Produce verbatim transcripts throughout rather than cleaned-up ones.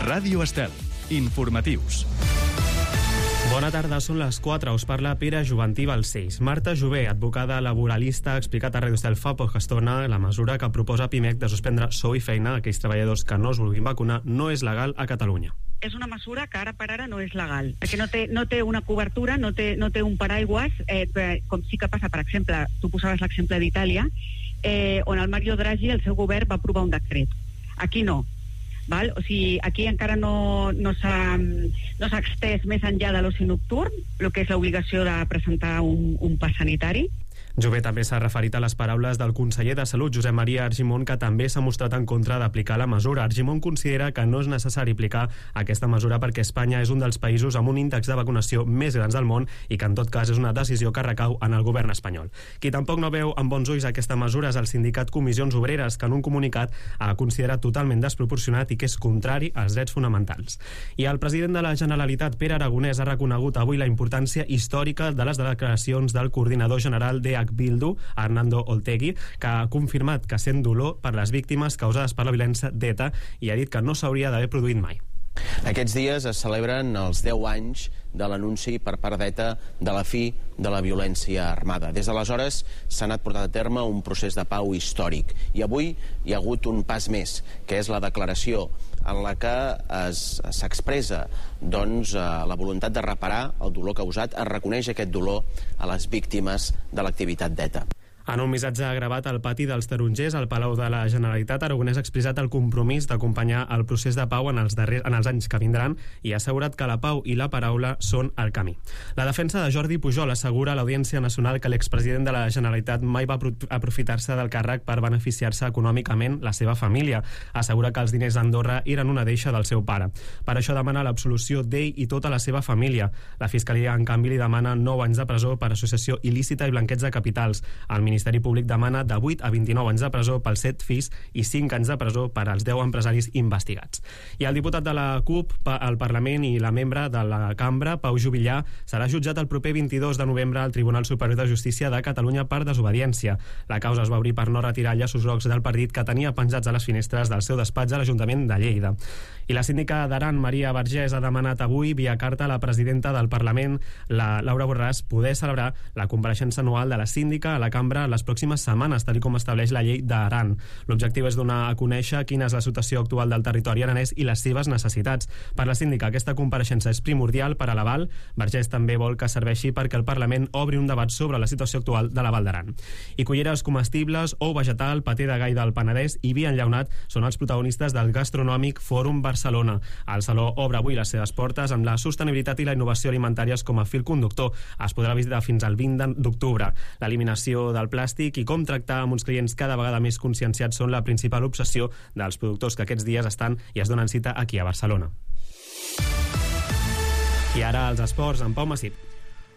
Ràdio Estel. Informatius. Bona tarda, són les quatre. Us parla Pere Joventí Balcells. Marta Jové, advocada laboralista, ha explicat a Ràdio Estel fa poca estona la mesura que proposa Pimec de suspendre sou i feina a aquells treballadors que no es vulguin vacunar no és legal a Catalunya. És una mesura que ara per ara no és legal, perquè no té, no té una cobertura, no té, no té un paraigües, eh, com sí que passa, per exemple, tu posaves l'exemple d'Itàlia, eh, on el Mario Draghi, el seu govern, va aprovar un decret. Aquí no. Val? O sigui, aquí encara no, no s'ha no s'ha extès més enllà de l'oci nocturn, el que és l'obligació de presentar un, un pas sanitari. Jové també s'ha referit a les paraules del conseller de Salut, Josep Maria Argimon, que també s'ha mostrat en contra d'aplicar la mesura. Argimon considera que no és necessari aplicar aquesta mesura perquè Espanya és un dels països amb un índex de vacunació més grans del món i que en tot cas és una decisió que recau en el govern espanyol. Qui tampoc no veu amb bons ulls aquesta mesura és el sindicat Comissions Obreres, que en un comunicat ha considerat totalment desproporcionat i que és contrari als drets fonamentals. I el president de la Generalitat, Pere Aragonès, ha reconegut avui la importància històrica de les declaracions del coordinador general de Bildu, Arnaldo Otegi, que ha confirmat que sent dolor per les víctimes causades per la violència d'ETA i ha dit que no s'hauria d'haver produït mai. Aquests dies es celebren els deu anys de l'anunci per part d'ETA de la fi de la violència armada. Des d'aleshores s'ha anat portant a terme un procés de pau històric i avui hi ha hagut un pas més, que és la declaració en la que s'expressa doncs, la voluntat de reparar el dolor causat, es reconeix aquest dolor a les víctimes de l'activitat d'ETA. En un missatge gravat al pati dels Tarongers, al Palau de la Generalitat, Aragonès ha expressat el compromís d'acompanyar el procés de pau en els, darrers, en els anys que vindran i ha assegurat que la pau i la paraula són el camí. La defensa de Jordi Pujol assegura a l'Audiència Nacional que l'expresident de la Generalitat mai va aprofitar-se del càrrec per beneficiar-se econòmicament la seva família. Assegura que els diners d'Andorra eren una deixa del seu pare. Per això demana l'absolució d'ell i tota la seva família. La Fiscalia, en canvi, li demana nou anys de presó per associació il·lícita i blanqueig de capitals. El El Ministeri Públic demana de vuit a vint-i-nou anys de presó pels set fills i cinc anys de presó per als deu empresaris investigats. I el diputat de la CUP al Parlament i la membre de la Cambra, Pau Juvillà, serà jutjat el proper vint-i-dos de novembre al Tribunal Superior de Justícia de Catalunya per desobediència. La causa es va obrir per no retirar llaços grocs del partit que tenia penjats a les finestres del seu despatx a l'Ajuntament de Lleida. I la síndica d'Aran, Maria Vergés, ha demanat avui, via carta a la presidenta del Parlament, la Laura Borràs, poder celebrar la compareixença anual de la síndica a la Cambra les pròximes setmanes, tal com estableix la llei d'Aran. L'objectiu és donar a conèixer quina és la situació actual del territori aranès i les seves necessitats. Per la síndica, aquesta compareixença és primordial per a l'Aval. Vergés també vol que serveixi perquè el Parlament obri un debat sobre la situació actual de la Val d'Aran. I culleres comestibles, ou vegetal, paté de gai del Penedès i vi enllaunat són els protagonistes del Gastronòmic Fòrum Barcelona. El saló obre avui les seves portes amb la sostenibilitat i la innovació alimentàries com a fil conductor. Es podrà visitar fins al vint d'octubre. L'eliminació del plàstic i com tractar amb uns clients cada vegada més conscienciats són la principal obsessió dels productors que aquests dies estan i es donen cita aquí a Barcelona. I ara els esports amb Pau Masip.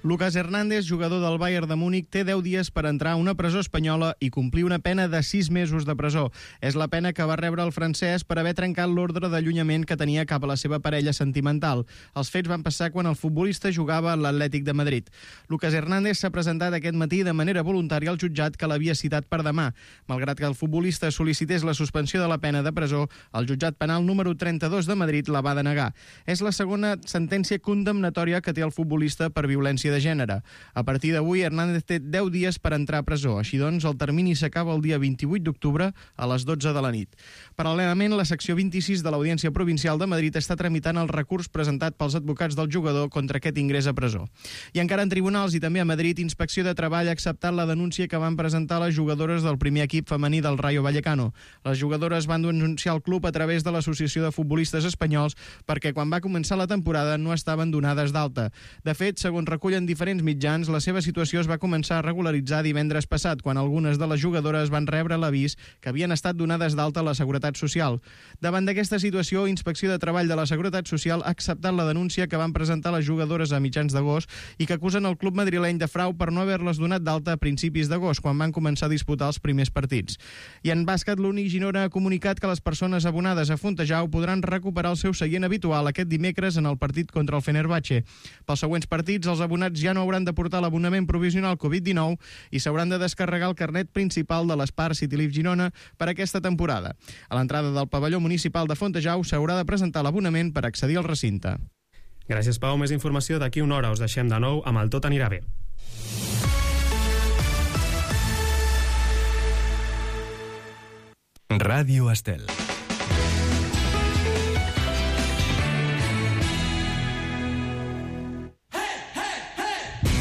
Lucas Hernández, jugador del Bayern de Múnich, té deu dies per entrar a una presó espanyola i complir una pena de sis mesos de presó. És la pena que va rebre el francès per haver trencat l'ordre d'allunyament que tenia cap a la seva parella sentimental. Els fets van passar quan el futbolista jugava a l'Atlètic de Madrid. Lucas Hernández s'ha presentat aquest matí de manera voluntària al jutjat que l'havia citat per demà. Malgrat que el futbolista sol·licités la suspensió de la pena de presó, el jutjat penal número trenta-dos de Madrid la va denegar. És la segona sentència condemnatòria que té el futbolista per violència de gènere. A partir d'avui, Hernández té deu dies per entrar a presó. Així doncs, el termini s'acaba el dia vint-i-vuit d'octubre a les dotze de la nit. Paral·lelament, la secció vint-i-sis de l'Audiència Provincial de Madrid està tramitant el recurs presentat pels advocats del jugador contra aquest ingrés a presó. I encara en tribunals i també a Madrid, Inspecció de Treball ha acceptat la denúncia que van presentar les jugadores del primer equip femení del Rayo Vallecano. Les jugadores van denunciar el club a través de l'Associació de Futbolistes Espanyols perquè quan va començar la temporada no estaven donades d'alta. De fet, segons recullen diferents mitjans, la seva situació es va començar a regularitzar divendres passat, quan algunes de les jugadores van rebre l'avís que havien estat donades d'alta a la Seguretat Social. Davant d'aquesta situació, Inspecció de Treball de la Seguretat Social ha acceptat la denúncia que van presentar les jugadores a mitjans d'agost i que acusen el club madrileny de frau per no haver-les donat d'alta a principis d'agost, quan van començar a disputar els primers partits. I en bàsquet, l'Uni Girona ha comunicat que les persones abonades a Fontejau podran recuperar el seu seient habitual aquest dimecres en el partit contra el Fenerbahçe. Pels següents partits, els abonats vacunats ja no hauran de portar l'abonament provisional covid dinou i s'hauran de descarregar el carnet principal de l'Spar City Life Girona per aquesta temporada. A l'entrada del pavelló municipal de Fontejau s'haurà de presentar l'abonament per accedir al recinte. Gràcies, Pau. Més informació d'aquí una hora. Us deixem de nou amb el Tot anirà bé. Ràdio Estel.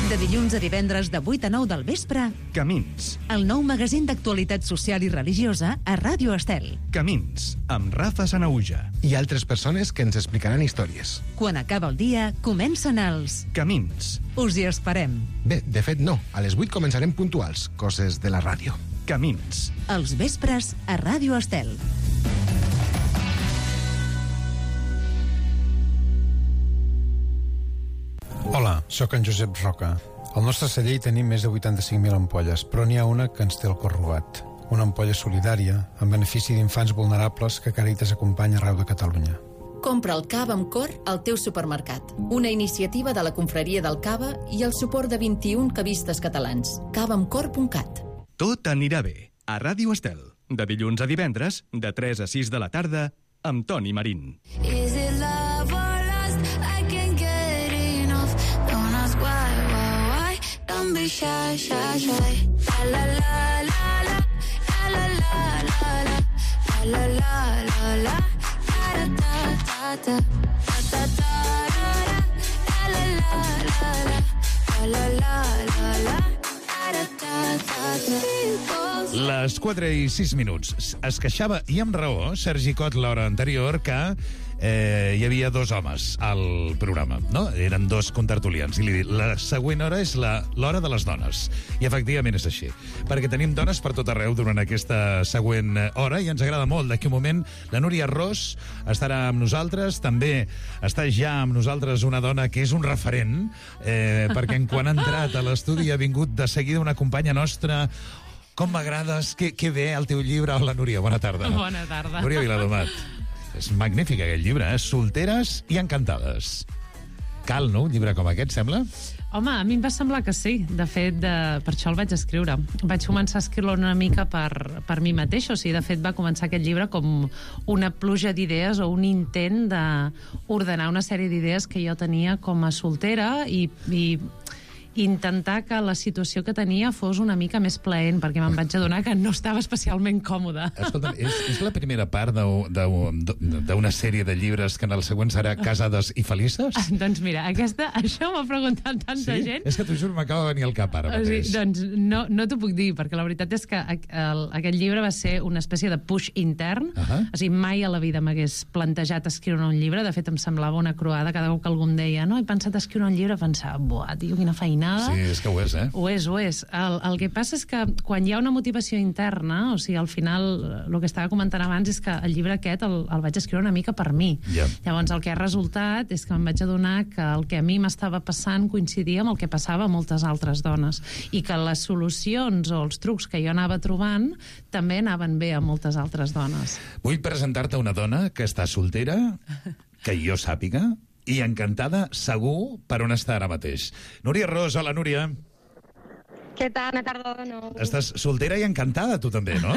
De dilluns a divendres de vuit a nou del vespre, Camins. el nou magazín d'actualitat social i religiosa a Ràdio Estel. Camins, amb Rafa Sanauja. I altres persones que ens explicaran històries. Quan acaba el dia, comencen els... Camins. Us hi esperem. Bé, de fet no, a les vuit començarem puntuals, coses de la ràdio. Camins. Els vespres a Ràdio Estel. Hola, sóc en Josep Roca. Al nostre celler hi tenim més de vuitanta-cinc mil ampolles, però n'hi ha una que ens té el cor robat. Una ampolla solidària, en benefici d'infants vulnerables que Càritas acompanya arreu de Catalunya. Compra el cava amb cor al teu supermercat. Una iniciativa de la Confraria del Cava i el suport de vint-i-un cavistes catalans. cava amb cor punt cat. Tot anirà bé, a Ràdio Estel. De dilluns a divendres, de tres a sis de la tarda, amb Toni Marín. Is it love or lust? I can't get enough. Don't ask why, why, why. Don't be shy, shy, shy. La la la la la. La la la la la. La la la la la. Da da da da. Da da da da. La la la la la. La la la la la. Da da da da. Les quatre i sis minuts. Es queixava, i amb raó, Sergi Cot l'hora anterior, que eh, hi havia dos homes al programa, no? Eren dos contertulians. I li dic, la següent hora és la- l'hora de les dones. I efectivament és així. Perquè tenim dones per tot arreu durant aquesta següent hora i ens agrada molt. D'aquí un moment la Núria Ros estarà amb nosaltres. També està ja amb nosaltres una dona que és un referent, eh, perquè en quan ha entrat a l'estudi ha vingut de seguida una companya nostra. Com m'agrades, que, que bé el teu llibre. Hola, Núria, bona tarda. Bona tarda. Núria Viladomat. És magnífic aquest llibre, eh? Solteres i encantades. Cal, no?, un llibre com aquest, sembla? Home, a mi em va semblar que sí. De fet, de, per això el vaig escriure. Vaig començar a escriure una mica per, per mi mateix. O sigui, de fet, va començar aquest llibre com una pluja d'idees o un intent d'ordenar una sèrie d'idees que jo tenia com a soltera i... i intentar que la situació que tenia fos una mica més plaent, perquè me'n vaig adonar que no estava especialment còmoda. Escolta, és, és la primera part d'una sèrie de llibres que en el següent serà Casades i felices? Ah, doncs mira, aquesta, això m'ha preguntat tanta Sí? gent. És que t'ho juro, m'acaba de venir al cap ara O sigui, mateix. doncs no, no t'ho puc dir, perquè la veritat és que el, aquest llibre va ser una espècie de push intern. Uh -huh. O sigui, mai a la vida m'hagués plantejat escriure un llibre. De fet, em semblava una croada cada cop que algú em deia no, he pensat escriure un llibre, pensava, buah, tio, quina feinada. Sí, és que ho és, eh? Ho és, ho és. El, el que passa és que quan hi ha una motivació interna, o sigui, al final, el que estava comentant abans és que el llibre aquest el, el vaig escriure una mica per mi. Ja. Llavors, el que ha resultat és que em vaig adonar que el que a mi m'estava passant coincidia amb el que passava a moltes altres dones i que les solucions o els trucs que jo anava trobant també anaven bé a moltes altres dones. Vull presentar-te una dona que està soltera, que jo sàpiga, i encantada, segur, per on està ara mateix. Núria Ros, hola, Núria. Què tal? Bona tarda de nou. Estàs soltera i encantada, tu també, no?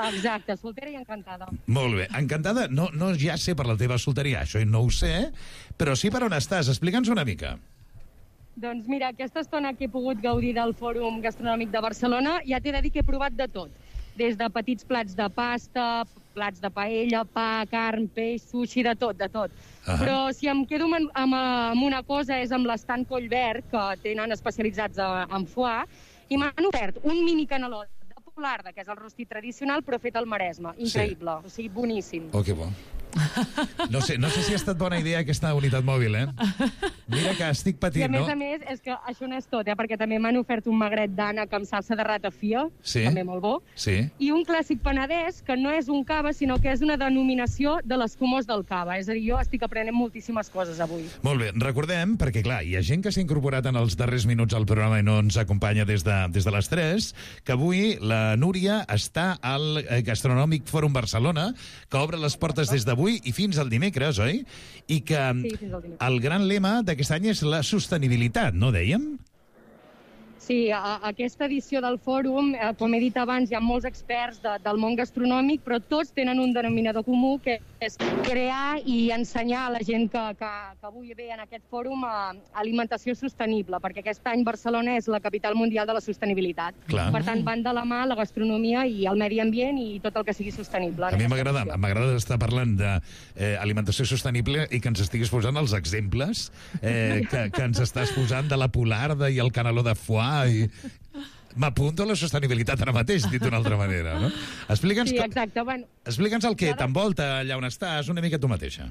Exacte, soltera i encantada. Molt bé. Encantada, no, no ja sé per la teva solteria, això no ho sé, però sí per on estàs. Explica'ns una mica. Doncs mira, aquesta estona que he pogut gaudir del Fòrum Gastronòmic de Barcelona, ja t'he de dir que he provat de tot. Des de petits plats de pasta, plats de paella, pa, carn, peix, sushi, de tot, de tot. Ah. Però si em quedo amb, amb, amb una cosa és amb l'estand Collverd, que tenen especialitzats a- en foie, i m'han ofert un mini canelot de polarda, que és el rostit tradicional, però fet al Maresme. Increïble, o sigui, boníssim. Oh, que bo. No sé, no sé si ha estat bona idea aquesta unitat mòbil, eh? Mira que estic I a patint, més no? a més, és que això no és tot, eh? Perquè també m'han ofert un magret d'ànec amb salsa de ratafia, Sí. també molt bo, Sí. i un clàssic penedès, que no és un cava, sinó que és una denominació de l'escumós del cava. És a dir, jo estic aprenent moltíssimes coses avui. Molt bé, recordem, perquè clar, hi ha gent que s'ha incorporat en els darrers minuts al programa i no ens acompanya des de, des de les tres, que avui la Núria està al eh, Gastronòmic Fòrum Barcelona, que obre les portes des d'avui d'avui i fins al dimecres, oi? I que Sí, fins al dimecres. el gran lema d'aquest any és la sostenibilitat, no dèiem? Sí, a, a aquesta edició del fòrum, eh, com he dit abans, hi ha molts experts de, del món gastronòmic, però tots tenen un denominador comú, que és crear i ensenyar a la gent que, que, que avui ve en aquest fòrum a alimentació sostenible, perquè aquest any Barcelona és la capital mundial de la sostenibilitat. Clar. Per tant, van de la mà la gastronomia i el medi ambient i tot el que sigui sostenible. A mi m'agrada m'agrada estar parlant d'alimentació eh, sostenible i que ens estiguis posant els exemples eh, que, que ens estàs posant de la polarda i el caneló de foie i... M'apunto a la sostenibilitat ara mateix, dit d'una altra manera, no? Explica'ns Sí, com- exacte. Bueno, explica'ns el que t'envolta allà on estàs, una mica tu mateixa.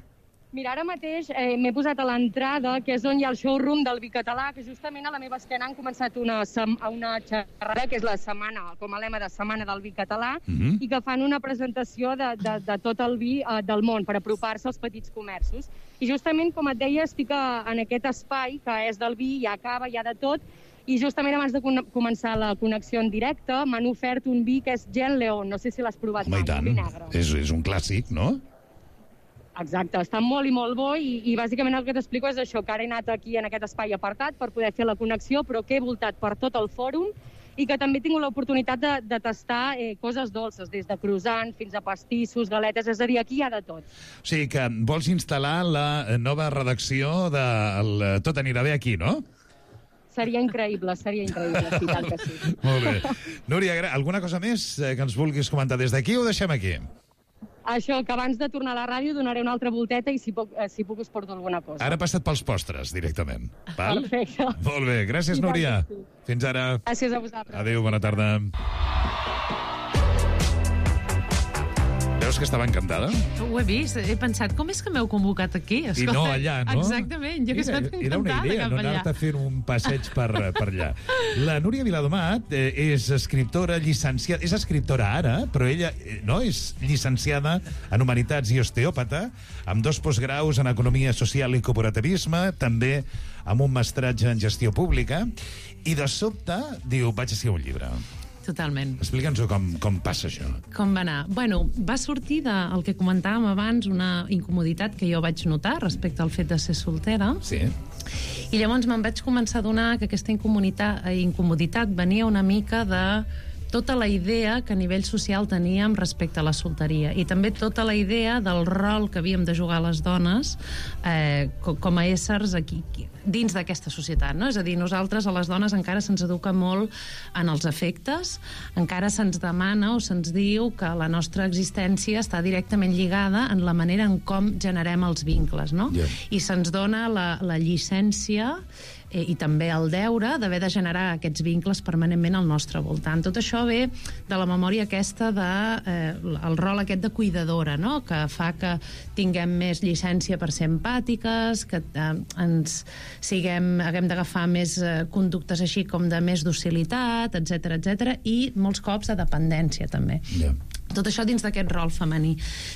mira, ara mateix eh, m'he posat a l'entrada, que és on hi ha el showroom del vi català, que justament a la meva esquena han començat una, sem- una xerrada, que és la setmana, com a lema de Setmana del Vi Català, Mhm. i que fan una presentació de, de, de tot el vi eh, del món per apropar-se als petits comerços. I justament, com et deia, estic a, en aquest espai que és del vi, hi ha cava, hi ha de tot, i justament abans de con- començar la connexió en directe m'han ofert un vi que és Gen León, no sé si l'has provat Home, i mai, tant. un vi negre. És, és un clàssic, no? Exacte, està molt i molt bo i, i bàsicament el que t'explico és això, que ara he anat aquí en aquest espai apartat per poder fer la connexió, però que he voltat per tot el fòrum i que també he tingut l'oportunitat de, de tastar eh, coses dolces, des de croissant fins a pastissos, galetes, és a dir, aquí hi ha de tot. O sigui que vols instal·lar la nova redacció de el Tot anirà bé aquí, no? Seria increïble, seria increïble, sí, tant que sí. Molt bé. Núria, gra- alguna cosa més eh, que ens vulguis comentar des d'aquí o ho deixem aquí? Això, que abans de tornar a la ràdio donaré una altra volteta i si puc, eh, si puc us porto alguna cosa. Ara passa't pels postres, directament. Val? Perfecte. Molt bé, gràcies, I tant Núria. que sí. Fins ara. Gràcies a vosaltres. Adéu, bona tarda. Veus que estava encantada? Ho he vist, he pensat, com és que m'heu convocat aquí? I no allà, no? Exactament, jo que Era, estic era una encantada idea, cap no allà. anar-te fent un passeig per, per allà. La Núria Viladomat eh, és escriptora llicenciada... És escriptora ara, però ella eh, no és llicenciada en Humanitats i osteòpata, amb dos postgraus en Economia Social i Cooperativisme, també amb un mestratge en Gestió Pública, i de sobte diu, vaig a escriure un llibre. Totalment. Explica'ns-ho com, com passa això. Com va anar? Bueno, va sortir del que comentàvem abans, una incomoditat que jo vaig notar respecte al fet de ser soltera. Sí. I llavors me'n vaig començar a adonar que aquesta incomoditat, incomoditat venia una mica de tota la idea que a nivell social teníem respecte a la solteria i també tota la idea del rol que havíem de jugar les dones eh, com a éssers aquí, dins d'aquesta societat, no? És a dir, nosaltres a les dones encara se'ns educa molt en els afectes, encara se'ns demana o se'ns diu que la nostra existència està directament lligada en la manera en com generem els vincles, no? Yeah. I se'ns dona la, la llicència eh, i també el deure d'haver de generar aquests vincles permanentment al nostre voltant. Tot això ve de la memòria aquesta de eh, el rol aquest de cuidadora, no? Que fa que tinguem més llicència per ser empàtiques, que eh, ens siguem, haguem d'agafar més eh, conductes així com de més docilitat, etcètera, etcètera, i molts cops de dependència també. Yeah. Tot això dins d'aquest rol femení.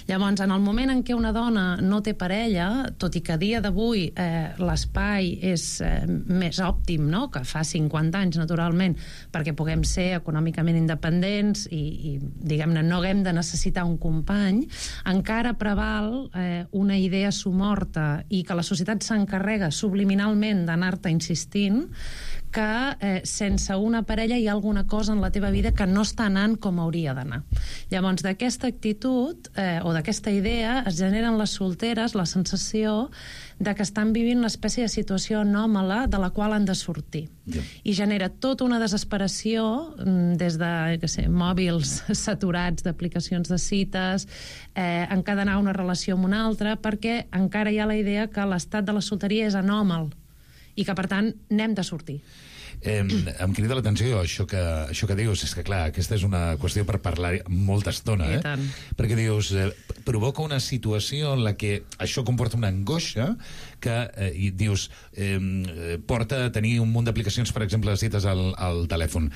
Llavors, en el moment en què una dona no té parella, tot i que a dia d'avui eh, l'espai és eh, més òptim, no?, que fa cinquanta anys, naturalment, perquè puguem ser econòmicament independents i, i diguem-ne, no haguem de necessitar un company, encara preval eh, una idea somorta i que la societat s'encarrega subliminalment d'anar-te insistint que eh, sense una parella hi ha alguna cosa en la teva vida que no està anant com hauria d'anar. Llavors, d'aquesta actitud eh, o d'aquesta idea es generen les solteres la sensació de que estan vivint una espècie de situació anòmala de la qual han de sortir. Yeah. I genera tota una desesperació mm, des de, què sé, mòbils saturats d'aplicacions de cites, eh, encadenar una relació amb una altra, perquè encara hi ha la idea que l'estat de la solteria és anòmal i que, per tant, n'hem de sortir. Eh, em crida l'atenció això que, això que dius, és que clar, aquesta és una qüestió per parlar molta estona, eh? I tant. Perquè dius, eh, provoca una situació en la que això comporta una angoixa que, eh, i dius, eh, porta a tenir un munt d'aplicacions, per exemple, de cites al, al telèfon.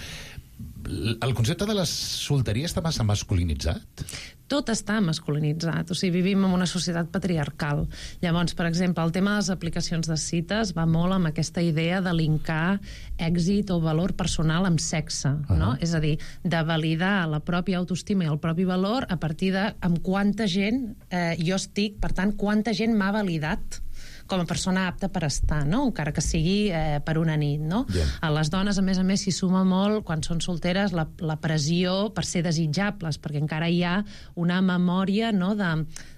el concepte de la solteria està massa masculinitzat? Tot està masculinitzat, o sigui, vivim en una societat patriarcal. Llavors, per exemple, el tema de les aplicacions de cites va molt amb aquesta idea de linkar èxit o valor personal amb sexe, uh-huh. no? És a dir, de validar la pròpia autoestima i el propi valor a partir de amb quanta gent eh, jo estic, per tant, quanta gent m'ha validat com a persona apta per estar, no? Encara que sigui eh, per una nit, no? Yeah. A les dones, a més a més, s'hi suma molt, quan són solteres, la, la pressió per ser desitjables, perquè encara hi ha una memòria, no?, de,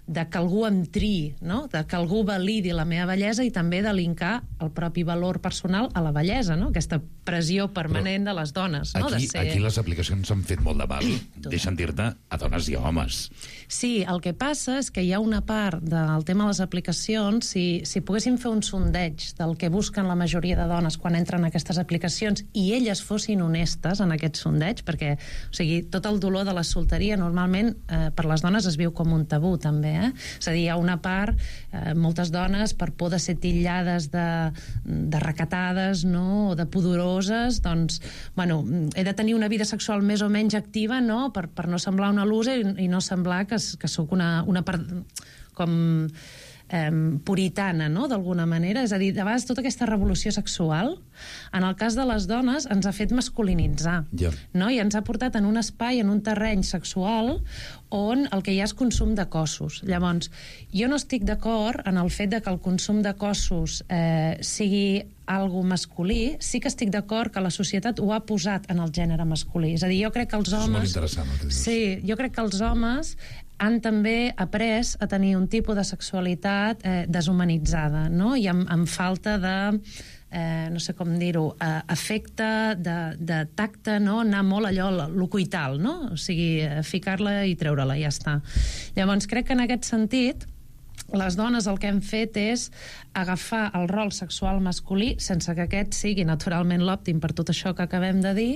de que algú em triï, no?, de que algú validi la meva bellesa i també de linkar el propi valor personal a la bellesa, no?, aquesta pressió permanent Però de les dones, no?, aquí, de ser... Aquí les aplicacions s'han fet molt de mal, deixen dir-te a dones i a homes. Sí, el que passa és que hi ha una part del tema de les aplicacions, si, si poguéssim fer un sondeig del que busquen la majoria de dones quan entren a aquestes aplicacions i elles fossin honestes en aquest sondeig, perquè, o sigui, tot el dolor de la solteria normalment eh, per les dones es viu com un tabú, també, eh? És a dir, hi ha una part, eh, moltes dones, per por de ser titllades de, de recatades, no?, o de pudoroses, doncs, bueno, he de tenir una vida sexual més o menys activa, no?, per, per no semblar una loser i, i no semblar que, que sóc una, una part com eh, puritana, no?, d'alguna manera. És a dir, de vegades tota aquesta revolució sexual, en el cas de les dones, ens ha fet masculinitzar, yeah. no?, i ens ha portat en un espai, en un terreny sexual on el que hi ha és consum de cossos. Llavors, jo no estic d'acord en el fet de que el consum de cossos eh, sigui algo masculí, sí que estic d'acord que la societat ho ha posat en el gènere masculí. És a dir, jo crec que els homes... És molt interessant el que dius. Sí, jo crec que els homes han també après a tenir un tipus de sexualitat eh, deshumanitzada, no?, i amb, amb falta de... Eh, no sé com dir-ho, eh, efecte de, de tacte, no?, anar molt allò, l'ocuital, no?, o sigui, eh, ficar-la i treure-la, ja està. Llavors, crec que en aquest sentit, les dones el que hem fet és agafar el rol sexual masculí, sense que aquest sigui naturalment l'òptim per tot això que acabem de dir,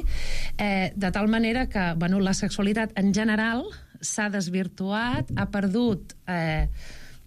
eh, de tal manera que, bueno, la sexualitat en general s'ha desvirtuat, ha perdut... Eh,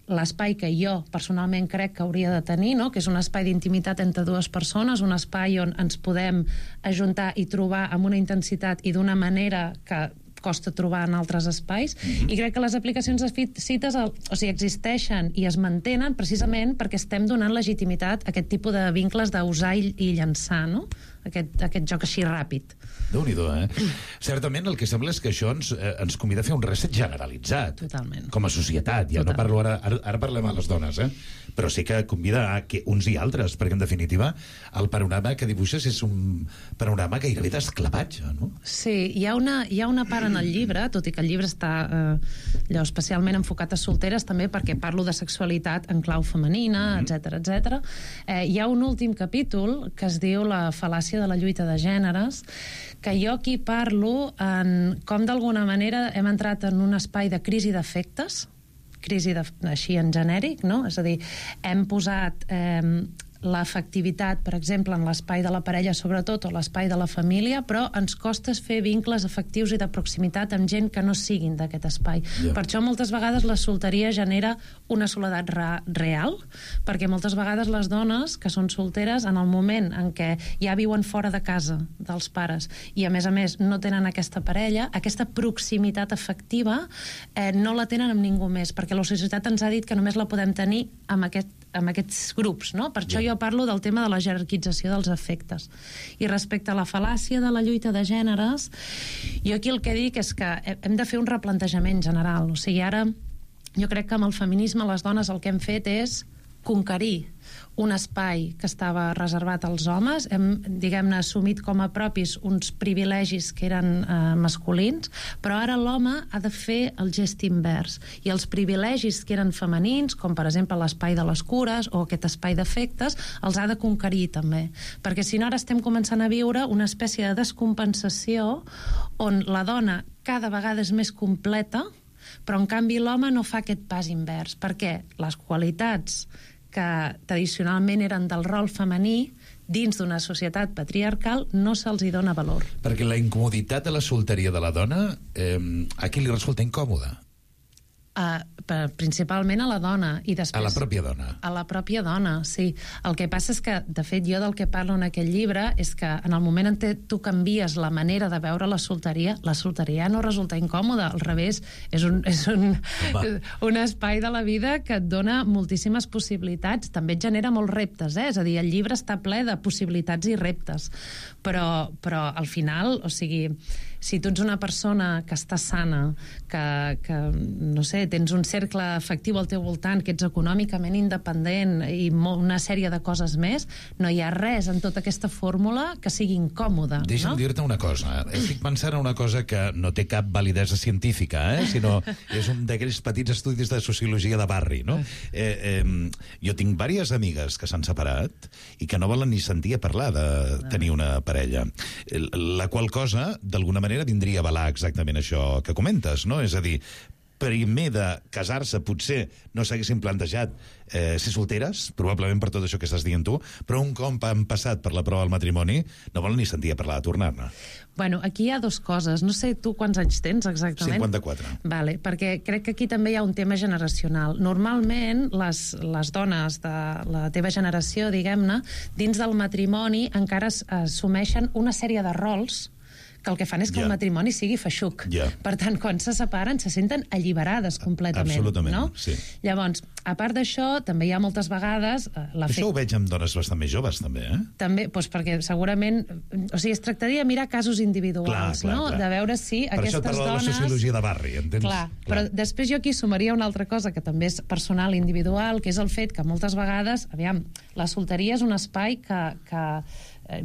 l'espai que jo personalment crec que hauria de tenir, no?, que és un espai d'intimitat entre dues persones, un espai on ens podem ajuntar i trobar amb una intensitat i d'una manera que costa trobar en altres espais, mm-hmm. i crec que les aplicacions de cites, o sigui, existeixen i es mantenen precisament perquè estem donant legitimitat a aquest tipus de vincles d'usar i, i llançar, no?, aquest, aquest joc així ràpid. Déu-n'hi-do, eh? Certament el que sembla és que això ens, eh, ens convida a fer un reset generalitzat. Totalment. Com a societat. Ja Total. no parlo ara, ara, ara parlem a les dones, eh? Però sí que convida a que uns i altres, perquè en definitiva el panorama que dibuixes és un panorama gairebé d'esclavatge, no? Sí, hi ha una, hi ha una part en el llibre, tot i que el llibre està eh, allò, especialment enfocat a solteres, també perquè parlo de sexualitat en clau femenina, etcètera, etcètera. Eh, hi ha un últim capítol que es diu La fal·làcia de la lluita de gèneres, que jo aquí parlo en com d'alguna manera hem entrat en un espai de crisi d'afectes, crisi de, així en genèric, no? És a dir, hem posat eh, l'afectivitat, per exemple, en l'espai de la parella, sobretot, o l'espai de la família, però ens costa fer vincles afectius i de proximitat amb gent que no siguin d'aquest espai. Yeah. Per això moltes vegades la solteria genera una soledat real, perquè moltes vegades les dones que són solteres, en el moment en què ja viuen fora de casa dels pares i a més a més no tenen aquesta parella, aquesta proximitat afectiva eh, no la tenen amb ningú més, perquè la societat ens ha dit que només la podem tenir amb aquest amb aquests grups, no? Per això jo parlo del tema de la jerarquització dels afectes. I respecte a la fal·làcia de la lluita de gèneres, jo aquí el que dic és que hem de fer un replantejament general. O sigui, ara jo crec que amb el feminisme les dones el que hem fet és conquerir un espai que estava reservat als homes, hem, diguem-ne, assumit com a propis uns privilegis que eren eh, masculins, però ara l'home ha de fer el gest invers, i els privilegis que eren femenins, com per exemple l'espai de les cures o aquest espai d'afectes, els ha de conquerir també, perquè si no ara estem començant a viure una espècie de descompensació on la dona cada vegada és més completa, però en canvi l'home no fa aquest pas invers, perquè les qualitats que tradicionalment eren del rol femení dins d'una societat patriarcal no se'ls hi dona valor. Perquè la incomoditat de la solteria de la dona eh, a qui li resulta incòmoda? Uh, per, principalment a la dona i després... A la pròpia dona. A la pròpia dona, sí. El que passa és que, de fet, jo del que parlo en aquell llibre és que en el moment en què tu canvies la manera de veure la solteria, la solteria no resulta incòmoda, al revés, és un, és un, un espai de la vida que et dona moltíssimes possibilitats, també et genera molts reptes, eh? És a dir, el llibre està ple de possibilitats i reptes, però, però al final, o sigui, si tu ets una persona que està sana, que, que no sé, tens un cercle afectiu al teu voltant, que ets econòmicament independent i una sèrie de coses més, no hi ha res en tota aquesta fórmula que sigui incòmoda. Deixa'm no? dir-te una cosa. Estic pensant en una cosa que no té cap validesa científica, eh? Sinó és un d'aquells petits estudis de sociologia de barri, no? Eh, eh, jo tinc diverses amigues que s'han separat i que no volen ni sentir a parlar de tenir una parella. La qual cosa, d'alguna manera, vindria a avalar exactament això que comentes, no? És a dir, primer de casar-se potser no s'haguessin plantejat eh, ser solteres, probablement per tot això que estàs dient tu, però un cop han passat per la prova del matrimoni no volen ni sentir a parlar de tornar-ne. Bueno, aquí hi ha dues coses. No sé tu quants anys tens exactament. cinquanta-quatre. Vale, perquè crec que aquí també hi ha un tema generacional. Normalment, les, les dones de la teva generació, diguem-ne, dins del matrimoni encara assumeixen una sèrie de rols que el que fan és que yeah. el matrimoni sigui feixuc. Yeah. Per tant, quan se separen, se senten alliberades completament. Absolutament, no? sí. Llavors, a part d'això, també hi ha moltes vegades... Això ho veig amb dones bastant més joves, també, eh? També, doncs perquè segurament... O sigui, es tractaria de mirar casos individuals, clar, clar, no? Clar. De veure si per aquestes dones... Per això et de la sociologia de barri, entens? Clar, clar, però després jo aquí sumaria una altra cosa que també és personal i individual, que és el fet que moltes vegades, aviam, la solteria és un espai que... que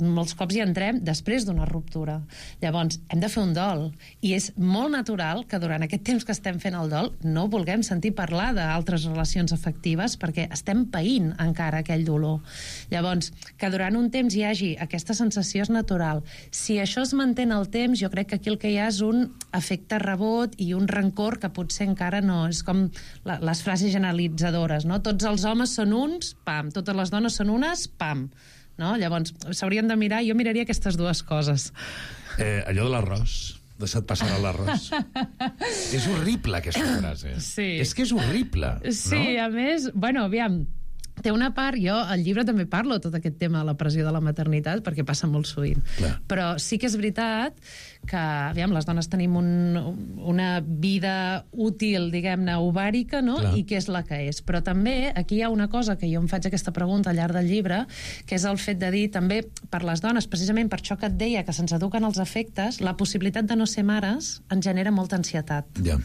molts cops hi entrem després d'una ruptura. Llavors, hem de fer un dol i és molt natural que durant aquest temps que estem fent el dol no vulguem sentir parlar d'altres relacions afectives perquè estem païnt encara aquell dolor. Llavors, que durant un temps hi hagi aquesta sensació és natural. Si això es manté en el temps, jo crec que aquí el que hi ha és un efecte rebot i un rancor que potser encara no. És com la, les frases generalitzadores, no? Tots els homes són uns, pam. Totes les dones són unes, pam. No? Llavors, s'haurien de mirar, jo miraria aquestes dues coses. Eh, allò de l'arròs, deixa't passar l'arròs. És horrible, aquesta frase. Sí. És que és horrible, sí, no? A més, bueno, aviam, té una part, jo al llibre també parlo tot aquest tema de la pressió de la maternitat perquè passa molt sovint, clar. Però sí que és veritat que, aviam, les dones tenim un, una vida útil, diguem-ne, ovàrica, no? Clar. I que és la que és. Però també aquí hi ha una cosa que jo em faig aquesta pregunta al llarg del llibre, que és el fet de dir també per les dones, precisament per això que et deia que se'ns eduquen els efectes, la possibilitat de no ser mares ens genera molta ansietat. Ja.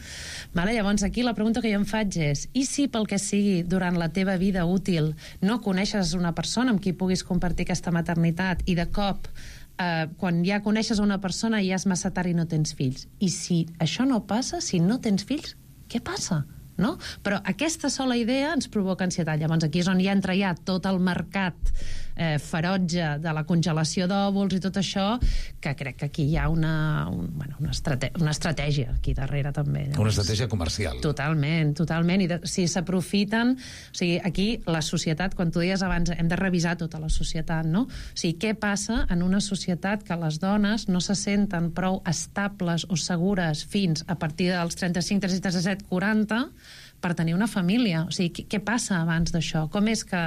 Vale? Llavors aquí la pregunta que jo em faig és, i si pel que sigui durant la teva vida útil no coneixes una persona amb qui puguis compartir aquesta maternitat i de cop eh, quan ja coneixes una persona i ja és massa tard i no tens fills, i si això no passa, si no tens fills, què passa? No? Però aquesta sola idea ens provoca ansietat. Llavors aquí és on ja entra ja tot el mercat eh, ferotge de la congelació d'òvuls i tot això, que crec que aquí hi ha una, un, bueno, una, estrate una estratègia aquí darrere també. Llavors, una estratègia comercial. Totalment, totalment. I de, si s'aprofiten... O sigui, aquí la societat, quan tu deies abans, hem de revisar tota la societat, no? O sigui, què passa en una societat que les dones no se senten prou estables o segures fins a partir dels trenta-cinc, trenta-sis, trenta-set, quaranta per tenir una família? O sigui, què, què passa abans d'això? Com és que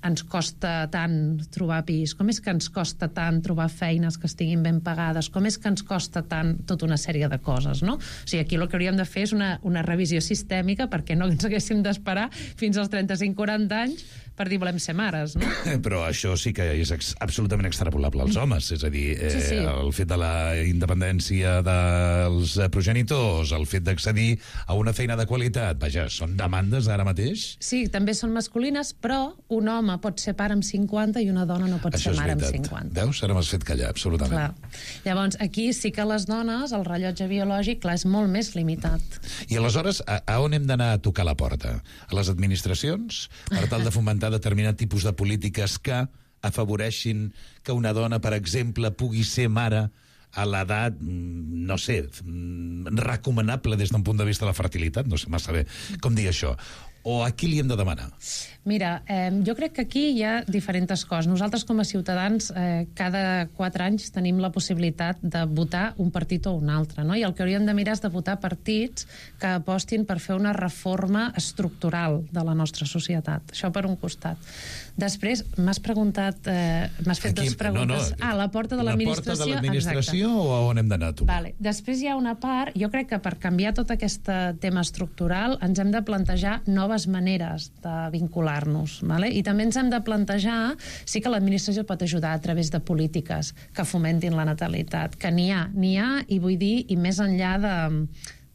ens costa tant trobar pis? Com és que ens costa tant trobar feines que estiguin ben pagades? Com és que ens costa tant tota una sèrie de coses, no? O sigui, aquí el que hauríem de fer és una, una revisió sistèmica perquè no ens haguéssim d'esperar fins als trenta-cinc quaranta anys per dir volem ser mares, no? Però això sí que és ex absolutament extrapolable als homes, és a dir, eh, sí, sí. el fet de la independència dels progenitors, el fet d'accedir a una feina de qualitat, vaja, són demandes ara mateix? Sí, també són masculines, però un home pot ser pare amb cinquanta i una dona no pot això ser mare amb veritat. cinquanta. Veus? Ara m'has fet callar, absolutament. Clar. Llavors, aquí sí que les dones, el rellotge biològic, clar, és molt més limitat. I aleshores, a, a on hem d'anar a tocar la porta? A les administracions? Per tal de fomentar determinat tipus de polítiques que afavoreixin que una dona, per exemple, pugui ser mare a l'edat, no sé, recomanable des d'un punt de vista de la fertilitat, no sé massa bé com dir això. o a qui li hem de demanar? Mira, eh, jo crec que aquí hi ha diferents coses. Nosaltres, com a ciutadans, eh, cada quatre anys tenim la possibilitat de votar un partit o un altre, no? I el que hauríem de mirar és de votar partits que apostin per fer una reforma estructural de la nostra societat. Això per un costat. Després, m'has preguntat... Eh, m'has fet Aquí, dues preguntes. No, no, ah, la porta de l'administració. La porta de l'administració o a on hem d'anar, tu? Vale. Després hi ha una part... Jo crec que per canviar tot aquest tema estructural ens hem de plantejar noves maneres de vincular-nos, vale? I també ens hem de plantejar, sí que l'administració pot ajudar a través de polítiques que fomentin la natalitat, que n'hi ha, n'hi ha, i vull dir, i més enllà de,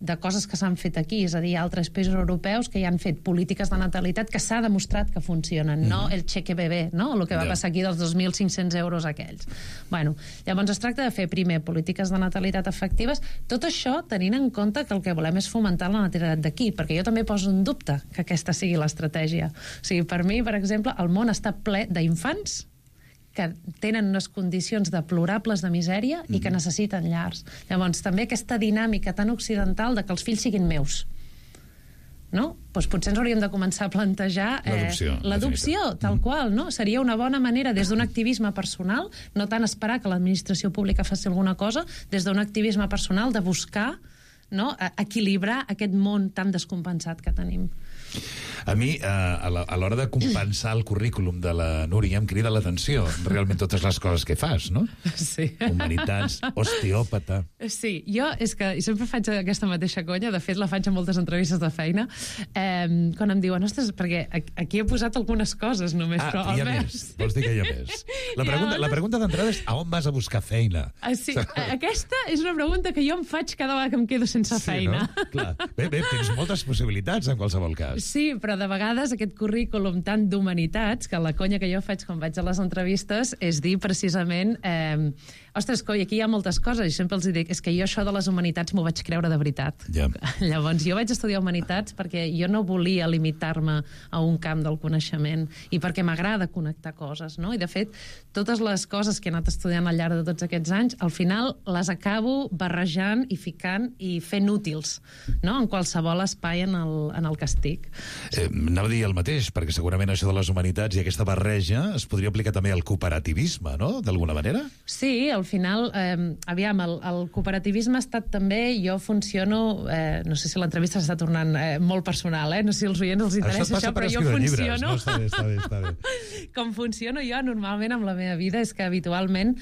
de coses que s'han fet aquí, és a dir, altres països europeus que hi han fet polítiques de natalitat que s'ha demostrat que funcionen, mm-hmm. no el cheque bebé, no? El que va yeah. passar aquí dels dos mil cinc-cents euros aquells. Bueno, llavors es tracta de fer primer polítiques de natalitat efectives, tot això tenint en compte que el que volem és fomentar la natalitat d'aquí, perquè jo també poso en dubte que aquesta sigui l'estratègia. O sigui, per mi, per exemple, el món està ple d'infants que tenen unes condicions deplorables de misèria mm-hmm. i que necessiten llars. Llavors, també aquesta dinàmica tan occidental de que els fills siguin meus. No? Doncs potser ens hauríem de començar a plantejar eh, l'adopció, tal qual, no? Seria una bona manera, des d'un activisme personal, no tant esperar que l'administració pública faci alguna cosa, des d'un activisme personal de buscar, no?, equilibrar aquest món tan descompensat que tenim. A mi, eh, a l'hora de compensar el currículum de la Núria, em crida l'atenció realment totes les coses que fas, no? Sí. Humanitats, osteòpata... Sí, jo és que sempre faig aquesta mateixa conya, de fet la faig a moltes entrevistes de feina, eh, quan em diuen, ostres, perquè aquí he posat algunes coses només, ah, però hi ha més... més, vols dir que hi ha més? La pregunta, la pregunta d'entrada és a on vas a buscar feina? Ah, sí, aquesta és una pregunta que jo em faig cada vegada que em quedo sense sí, feina. No? Clar. Bé, bé, tens moltes possibilitats en qualsevol cas. Sí, però de vegades aquest currículum tant d'humanitats, que la conya que jo faig quan vaig a les entrevistes és dir precisament eh, ostres, coi, aquí hi ha moltes coses, i sempre els dic, és que jo això de les humanitats m'ho vaig creure de veritat. Ja. Llavors, jo vaig estudiar humanitats perquè jo no volia limitar-me a un camp del coneixement i perquè m'agrada connectar coses, no? I de fet, totes les coses que he anat estudiant al llarg de tots aquests anys, al final les acabo barrejant i ficant i fent útils, no?, en qualsevol espai en el, en el que estic. Eh, anava a dir el mateix, perquè segurament això de les humanitats i aquesta barreja es podria aplicar també al cooperativisme, no?, d'alguna manera? Sí, al final, eh, aviam, el, el cooperativisme ha estat també, jo funciono, eh, no sé si l'entrevista s'està tornant eh, molt personal, eh? No sé si als oients els interessa això, però jo funciono... Llibres, no? Està bé, està bé, està bé. Com funciono jo normalment amb la meva vida és que habitualment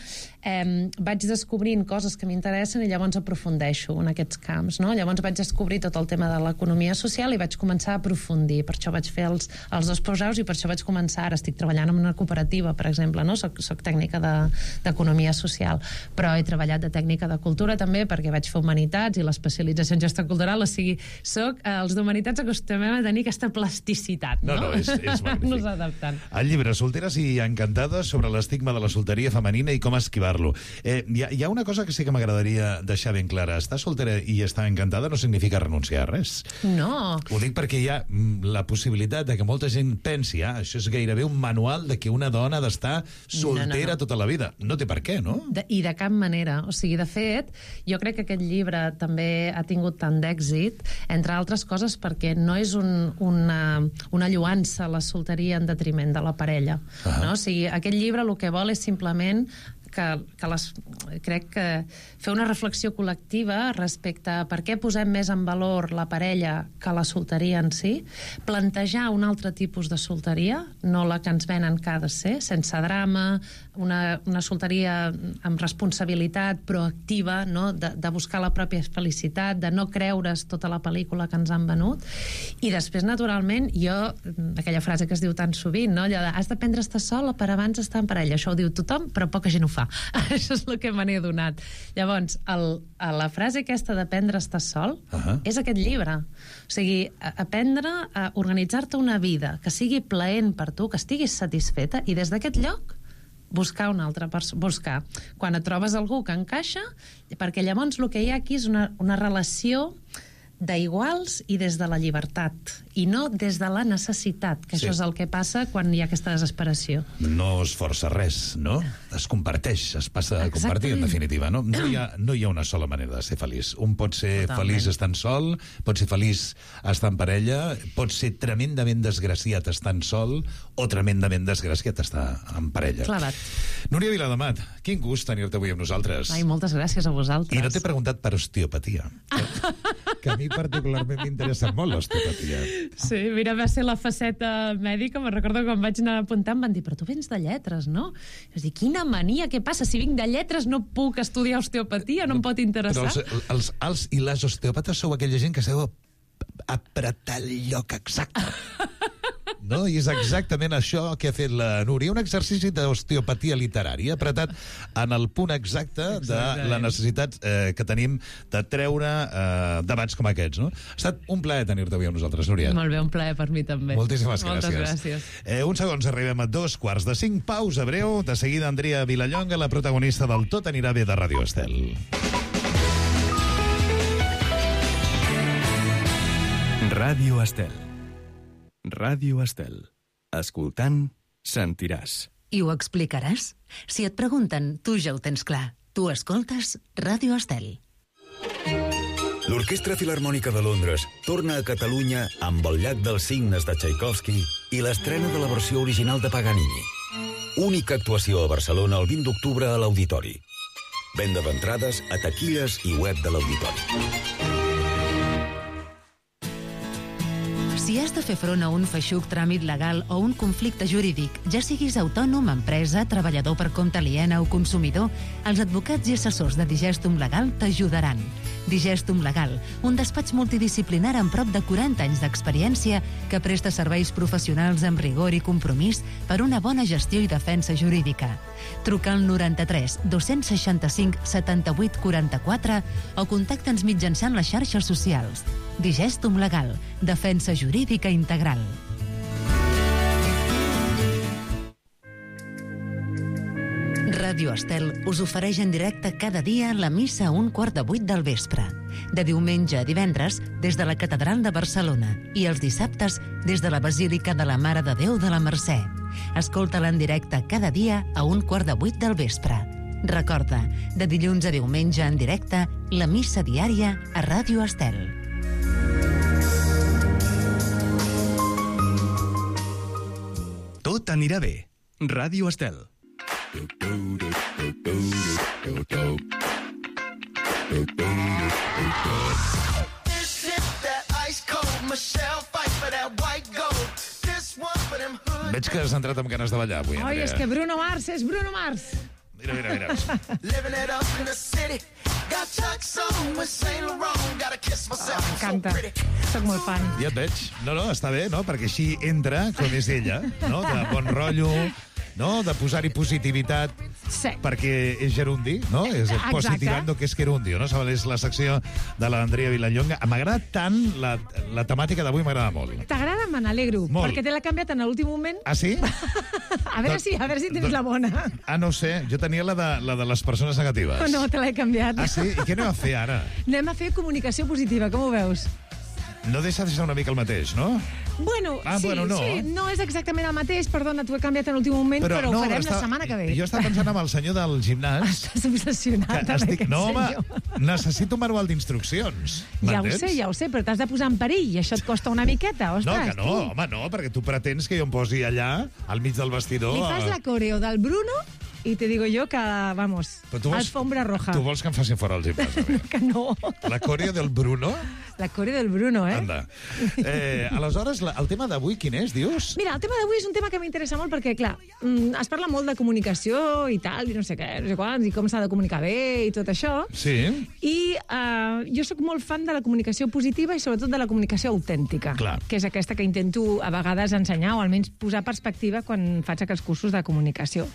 eh, vaig descobrint coses que m'interessen i llavors aprofundeixo en aquests camps, no? Llavors vaig descobrir tot el tema de l'economia social i vaig començar a aprofundir, per això vaig fer els, els dos postgraus i per això vaig començar, ara estic treballant en una cooperativa, per exemple, no? Soc, soc tècnica d'economia social, però he treballat de tècnica de cultura també perquè vaig fer humanitats i l'especialització en gestió cultural, o sigui, soc, eh, els d'humanitats acostumem a tenir aquesta plasticitat, no? No, no, és, és magnífic. Nos adaptant. El llibre Solteres i encantades sobre l'estigma de la solteria femenina i com esquivar-lo. Eh, hi, ha, hi ha una cosa que sí que m'agradaria deixar ben clara. Estar soltera i estar encantada no significa renunciar a res. No. Ho dic perquè hi ha la possibilitat de que molta gent pensi, ah, això és gairebé un manual de que una dona ha d'estar soltera no, no, no. tota la vida. No té per què, no? De, I de cap manera. O sigui, de fet, jo crec que aquest llibre també ha tingut tant d'èxit, entre altres coses perquè no és un, una, una lluança a la solteria en detriment de la parella. Ah. No? O sigui, aquest llibre el que vol és simplement que, que les, crec que fer una reflexió col·lectiva respecte a per què posem més en valor la parella que la solteria en si, plantejar un altre tipus de solteria, no la que ens venen que ha de ser, sense drama, una, una solteria amb responsabilitat proactiva, no? de, de buscar la pròpia felicitat, de no creure's tota la pel·lícula que ens han venut, i després, naturalment, jo, aquella frase que es diu tan sovint, no? Allò de, has d'aprendre a estar sol per abans estar en parella, això ho diu tothom, però poca gent ho fa. Això és el que me n'he donat. Llavors, el, la frase aquesta d'aprendre a estar sol uh-huh. és aquest llibre. O sigui, aprendre a organitzar-te una vida que sigui plaent per tu, que estiguis satisfeta, i des d'aquest lloc buscar una altra persona, buscar. Quan et trobes algú que encaixa, perquè llavors el que hi ha aquí és una, una relació d'iguals i des de la llibertat, i no des de la necessitat, que Sí. això és el que passa quan hi ha aquesta desesperació. No es força res, no? Es comparteix, es passa a compartir, en Exactament. definitiva, no? No hi ha, no hi ha una sola manera de ser feliç. Un pot ser Totalment. feliç estant sol, pot ser feliç estant en parella, pot ser tremendament desgraciat estant sol o tremendament desgraciat estar en parella. Clavat. Núria Viladomat, quin gust tenir-te avui amb nosaltres. Ai, moltes gràcies a vosaltres. I no t'he preguntat per osteopatia, que, que a mi particularment m'interessa molt l'osteopatia. Sí, mira, va ser la faceta mèdica, me'n recordo quan vaig anar apuntant, em van dir, però tu vens de lletres, no? I vaig dir, quina mania, què passa? Si vinc de lletres no puc estudiar osteopatia, no em pot interessar? Però els, els alts i les osteòpates sou aquella gent que sabeu apretar el lloc exacte. No? I és exactament això que ha fet la Núria, un exercici d'osteopatia literària, apretat en el punt exacte de la necessitat eh, que tenim de treure eh, debats com aquests. No? Ha estat un plaer tenir-te avui amb nosaltres, Núria. Molt bé, un plaer per mi també. Moltíssimes Moltes gràcies. gràcies. Eh, uns segons, arribem a dos quarts de cinc, pausa breu, de seguida Andrea Vilallonga, la protagonista del Tot anirà bé de Ràdio Estel. Ràdio Estel. Ràdio Estel. Escoltant, sentiràs. I ho explicaràs? Si et pregunten, tu ja ho tens clar. Tu escoltes Ràdio Estel. L'Orquestra Filharmònica de Londres torna a Catalunya amb el Llac dels Cignes de Tchaikovsky i l'estrena de la versió original de Paganini. Única actuació a Barcelona el vint d'octubre a l'Auditori. Venda d'entrades a taquilles i web de l'Auditori. Si has de fer front a un feixuc tràmit legal o un conflicte jurídic, ja siguis autònom, empresa, treballador per compte aliena o consumidor, els advocats i assessors de Digestum Legal t'ajudaran. Digestum Legal, un despatx multidisciplinar amb prop de quaranta anys d'experiència que presta serveis professionals amb rigor i compromís per una bona gestió i defensa jurídica. Truca al noranta-tres dos-cents seixanta-cinc setanta-vuit quaranta-quatre o contacta'ns mitjançant les xarxes socials. Digestum Legal, defensa jurídica integral. Ràdio Estel us ofereix en directe cada dia la missa a un quart de vuit del vespre. De diumenge a divendres, des de la Catedral de Barcelona, i els dissabtes, des de la Basílica de la Mare de Déu de la Mercè. Escolta-la en directe cada dia a un quart de vuit del vespre. Recorda, de dilluns a diumenge en directe, la missa diària a Ràdio Estel. Tot anirà bé. Ràdio Estel. Veig que has entrat amb ganes de ballar avui, Ai, Andrea. és que Bruno Mars és Bruno Mars. Mira, mira, mira. M'encanta. Soc molt fan. Ja et veig. No, no, està bé, no? Perquè així entra com és ella, no? De bon rotllo, no? De posar-hi positivitat. Sí. Perquè és gerundi, no? És el Exacte. positivando que és gerundio, no? És la secció de l'Andrea Vilallonga. M'agrada tant, la, la temàtica d'avui m'agrada molt. T'agrada? Me n'alegro. Molt. Perquè te l'ha canviat en l'últim moment. Ah, sí? A veure si, a veure si tens la bona. Ah, no ho sé. Jo tenia la de, la de les persones negatives. O no, te l'he canviat. Ah, sí? I què anem a fer ara? Anem a fer comunicació positiva, com ho veus? No deixa de ser una mica el mateix, no? Bueno, Ah, sí, bueno, no. sí, no és exactament el mateix, perdona, t'ho he canviat en l'últim moment, però, però ho farem està- la setmana que ve. Jo estava pensant amb el senyor del gimnàs. Estàs obsessionat que amb estic... aquest No, home, senyor. necessito un manual d'instruccions. Ja ho M'entens? sé, ja ho sé, però t'has de posar en perill i això et costa una miqueta, No, ostres. que no, tu. home, no, perquè tu pretens que jo em posi allà, al mig del vestidor... Li fas la coreo del Bruno i te digo yo que, vamos, Però tu vols- alfombra roja. Tu vols que em facin fora el gimnàs, a mi? Que no. La coreo del Bruno? La coreo del Bruno, eh? Anda. Eh, aleshores, la, el tema d'avui quin és, dius? Mira, el tema d'avui és un tema que m'interessa molt perquè, clar, mm, es parla molt de comunicació i tal, i no sé què, no sé quants, i com s'ha de comunicar bé i tot això. Sí. I uh, jo sóc molt fan de la comunicació positiva i sobretot de la comunicació autèntica, Clar. que és aquesta que intento a vegades ensenyar o almenys posar perspectiva quan faig aquests cursos de comunicació.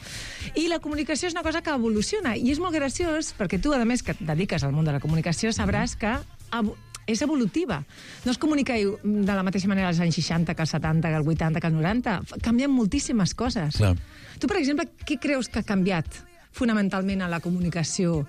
I la comunicació és una cosa que evoluciona i és molt graciós perquè tu, a més, que et dediques al món de la comunicació, sabràs que evo- és evolutiva. No es comunica de la mateixa manera als anys seixanta que als setanta, que als vuitanta, que als noranta. F- Canvien moltíssimes coses. Clar. Tu, per exemple, què creus que ha canviat fonamentalment a la comunicació?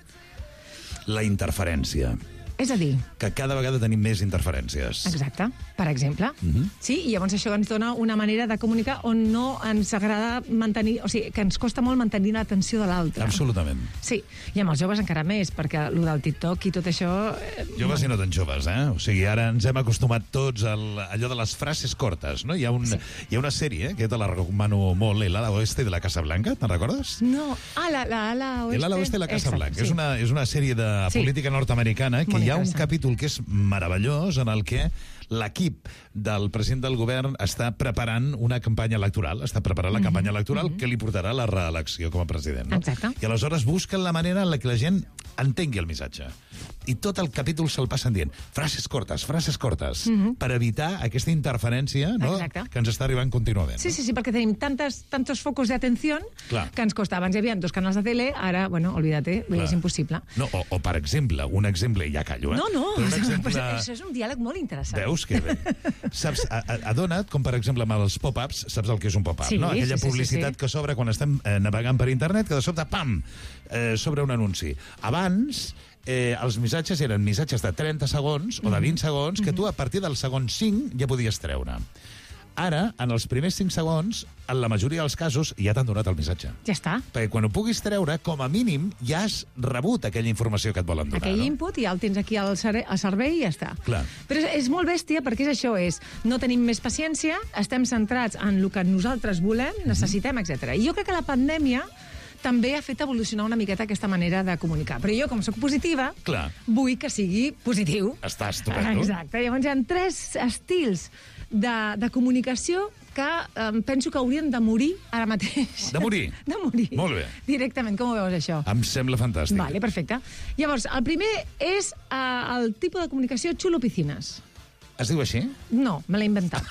La interferència. És a dir... Que cada vegada tenim més interferències. Exacte, per exemple. Mhm. Sí, i llavors això ens dona una manera de comunicar on no ens agrada mantenir... O sigui, que ens costa molt mantenir l'atenció de l'altre. Absolutament. Sí, i amb els joves encara més, perquè el del TikTok i tot això... eh, Joves i no tan joves, eh? O sigui, ara ens hem acostumat tots a allò de les frases cortes, no? Hi ha, un, sí. hi ha una sèrie, que te la recomano molt, El ala oeste de la Casa Blanca, te'n recordes? No, ah, la, la ala oeste... El ala oeste de la Casa Exacte, Blanca. sí. És, una, és una sèrie de Sí. política nord-americana que Molt hi ha un interessant. capítol que és meravellós en el que l'equip del president del govern està preparant una campanya electoral, està preparant la Mhm, campanya electoral mhm. que li portarà a la reelecció com a president. No? Exacte. I aleshores busquen la manera en la que la gent entengui el missatge. I tot el capítol se'l passen dient frases cortes, frases cortes, Mhm. per evitar aquesta interferència, no? Exacte. Que ens està arribant contínuament. Sí, sí, sí, perquè tenim tantes, tantos focos d'atenció Clar. que ens costa. Abans hi havia dos canals de tele, ara, bueno, olvídate, Clar. és impossible. No, o, o, per exemple, un exemple, i ja callo, eh? No, no, Però un però exemple... això és un diàleg molt interessant. Veus que bé? Saps, a- a- adona't, com per exemple amb els pop-ups, saps el que és un pop-up, Sí, no? Aquella sí, sí, publicitat sí, sí. que s'obre quan estem eh, navegant per internet, que de sobte, pam, eh, s'obre un anunci. Abans, eh, els missatges eren missatges de trenta segons o de vint segons que tu a partir del segon cinc ja podies treure. Ara, en els primers cinc segons, en la majoria dels casos, ja t'han donat el missatge. Ja està. Perquè quan ho puguis treure, com a mínim, ja has rebut aquella informació que et volen donar. Aquell no? input ja el tens aquí al, cere- al servei i ja està. Clar. Però és, és molt bèstia perquè és això, és no tenim més paciència, estem centrats en el que nosaltres volem, necessitem, etcètera. I jo crec que la pandèmia també ha fet evolucionar una miqueta aquesta manera de comunicar. Però jo, com sóc positiva, Clar. vull que sigui positiu. Està estupendo. Exacte. Llavors hi ha tres estils de, de comunicació que eh, penso que haurien de morir ara mateix. De morir? De morir. Molt bé. Directament, com ho veus, això? Em sembla fantàstic. Vale, perfecte. Llavors, el primer és eh, el tipus de comunicació xulo piscines. Es diu així? No, me l'he inventat.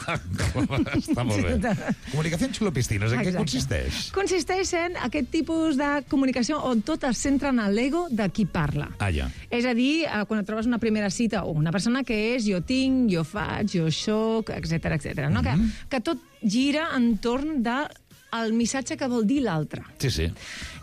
Està molt bé. Comunicació en xulopiscines, en què Exacte. consisteix? Consisteix en aquest tipus de comunicació on tot es centra en l'ego de qui parla. Ah, ja. És a dir, eh, quan et trobes una primera cita o una persona que és jo tinc, jo faig, jo soc, etcètera, etcètera, no? Mhm. que, que tot gira entorn de el missatge que vol dir l'altre. Sí, sí.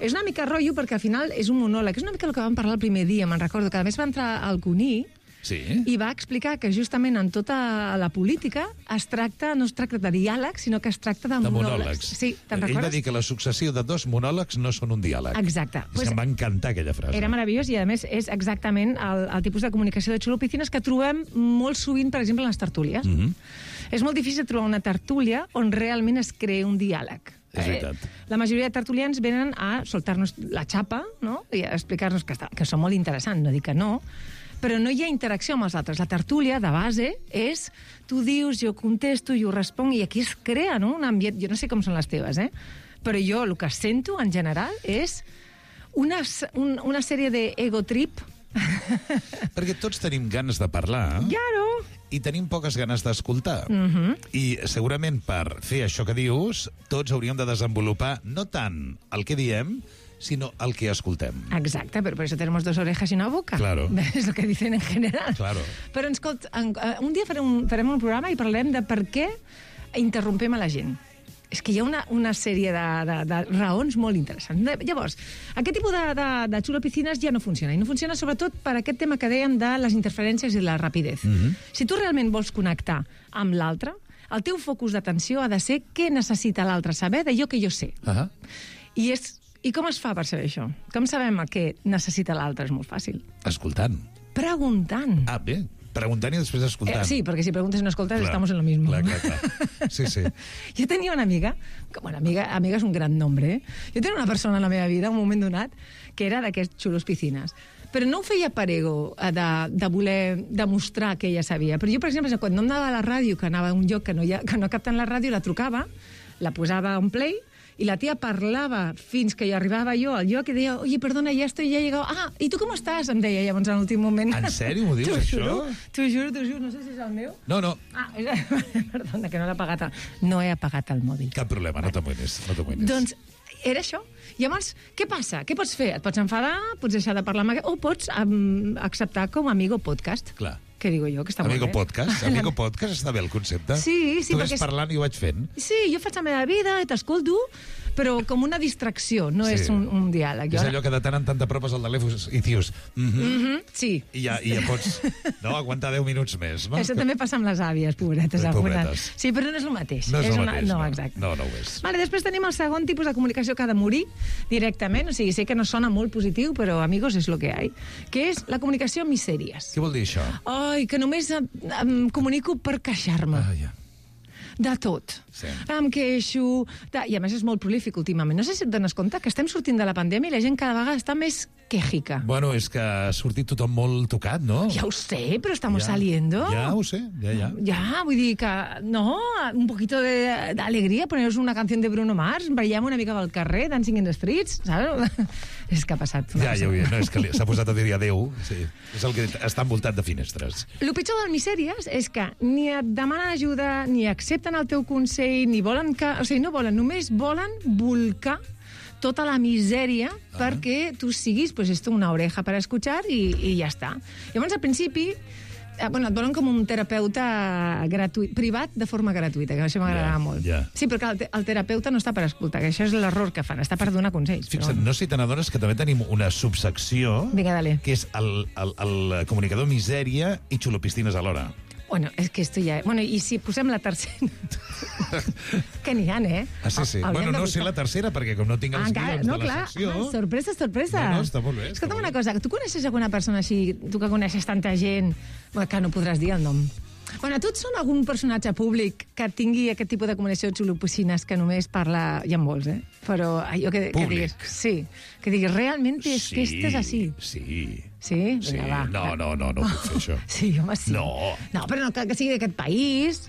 És una mica rotllo perquè al final és un monòleg. És una mica el que vam parlar el primer dia, me'n recordo, que a més va entrar al Cuní Sí. i va explicar que justament en tota la política es tracta, no es tracta de diàleg, sinó que es tracta de, De monòlegs. monòlegs. Sí, te'n Ell va recordes? dir que la successió de dos monòlegs no són un diàleg. Exacte. És Pues que em va encantar aquella frase. era meravellós i, a més, és exactament el, el tipus de comunicació de xulo piscines que trobem molt sovint, per exemple, en les tertúlies. Mhm. És molt difícil trobar una tertúlia on realment es creï un diàleg. És veritat. La majoria de tertulians venen a soltar-nos la xapa, no?, i a explicar-nos que, està, que són molt interessants, no dic que no, però no hi ha interacció amb els altres. La tertúlia, de base, és tu dius, jo contesto, jo responc, i aquí es crea, no?, un ambient... Jo no sé com són les teves, eh?, però jo el que sento, en general, és una, un, una sèrie d'ego trip. Perquè tots tenim ganes de parlar. Claro. I tenim poques ganes d'escoltar. Mhm. I segurament per fer això que dius, tots hauríem de desenvolupar no tant el que diem, sinó el que escoltem. Exacte, pero por eso tenemos dos orejas y una boca. Claro. Es lo que dicen en general. Claro. Però escolta, en, eh, un dia farem un, farem un programa i parlarem de per què interrompem a la gent. És que hi ha una, una sèrie de, de, de raons molt interessants. Llavors, aquest tipus de, de, de xulo piscines ja no funciona. I no funciona sobretot per aquest tema que dèiem de les interferències i la rapidez. Mhm. Si tu realment vols connectar amb l'altre, el teu focus d'atenció ha de ser què necessita l'altre saber d'allò que jo sé. Ah. I, és, I com es fa per saber això? Com sabem el que necessita l'altre? És molt fàcil. Escoltant. Preguntant. Ah, bé. Preguntant i després escoltant. Eh, sí, perquè si preguntes i no escoltes, Clar. estamos en lo mismo. Clar, clar, clar. Sí, sí. Jo tenia una amiga, que, bueno, amiga, amiga és un gran nombre, eh? Jo tenia una persona en la meva vida, un moment donat, que era d'aquests xulos piscines. Però no ho feia per ego, eh, de, de voler demostrar que ella sabia. Però jo, per exemple, quan no anava a la ràdio, que anava a un lloc que no, hi ha, que no capten la ràdio, la trucava, la posava on play, i la tia parlava fins que hi arribava jo al lloc i deia, oye, perdona, ja estoy, ja he llegado. Ah, i tu com estàs? Em deia llavors en l'últim moment. En sèrio m'ho dius, T'ho això? juro, T'ho juro, t'ho juro, no sé si és el meu. No, no, Ah, és... perdona, que no l'he apagat. El... No he apagat el mòbil. cap problema, no t'amoïnis. No t'amoïnis. Doncs era això. Llavors, què passa? Què pots fer? Et pots enfadar, pots deixar de parlar amb aquest... O pots um, acceptar com a amigo podcast. Clar. Què digo jo? Que està Amigo molt bé. podcast? Amigo podcast està bé el concepte? Sí, sí, Tu perquè ves és- parlant i ho vaig fent. Sí, jo faig la meva vida i t'escolto, però com una distracció, no Sí. és un, un diàleg. És allò que de tant en tant t'apropes al telèfon i dius... Mm -hmm. Mm -hmm, sí. I ja, I ja pots no, aguantar deu minuts més. No? Això també passa amb les àvies, pobretes. Eh, algunes. pobretes. Sí, però no és el mateix. No és, el una... mateix. No, no, exacte. no, no ho és. Vale, després tenim el segon tipus de comunicació que ha de morir directament, o sigui, sé que no sona molt positiu, però, amigos, és lo que hi ha, que és la comunicació amb misèries. Què vol dir això? Ai, que només em, em comunico per queixar-me. Ah, ja. De tot. Sí. Em queixo... De... I a més és molt prolífic últimament. No sé si et dones compte que estem sortint de la pandèmia i la gent cada vegada està més quejica. Bueno, és que ha sortit tothom molt tocat, no? Ja ho sé, però estamos Ja. saliendo. Ja ho sé, ja, ja. Ja, vull dir que, no, un poquito de, de alegría, poneros una canción de Bruno Mars, ballem una mica pel carrer, Dancing in the Streets, saps? És que ha passat. Ja, ja ho veia, no, és que li- s'ha posat a dir adéu. Sí. És el que està envoltat de finestres. El pitjor del misèries és que ni et demanen ajuda, ni accepten el teu consell, ni volen que... O sigui, no volen, només volen volcar tota la misèria ah. perquè tu siguis, pues, esto, una oreja per escuchar i, i ja està. Llavors, al principi, eh, bueno, et volen com un terapeuta gratuït, privat de forma gratuïta, que això m'agrada Ja, molt. ja. Sí, però clar, el, te el terapeuta no està per escoltar, que això és l'error que fan, està per donar consells. Fixa't, però... no sé si te n'adones que també tenim una subsecció Vinga, dale. que és el, el, el comunicador misèria i xulopistines alhora. Bueno, és que esto ja... Bueno, i si posem la tercera... que n'hi ha, eh? Ah, sí, sí. Hauríem Bueno, de no sé buscar. la tercera, perquè com no tinc els Encara, guions no, de la clar, secció... ah, sorpresa, sorpresa. No, no, està molt bé. Està Escolta'm molt una bé. cosa, tu coneixes alguna persona així, tu que coneixes tanta gent, bueno, que no podràs dir el nom. Bueno, tu ets són algun personatge públic que tingui aquest tipus de comunicació de xulopocines que només parla... Hi ha molts, eh? Però allò que, que Públic. diguis... Sí, que diguis, realmente és Sí, que estàs així. Sí. Sí? Sí. Vinga, va. No, no, no, no puc fer això. Sí, home, sí. No. No, però no cal que sigui d'aquest país.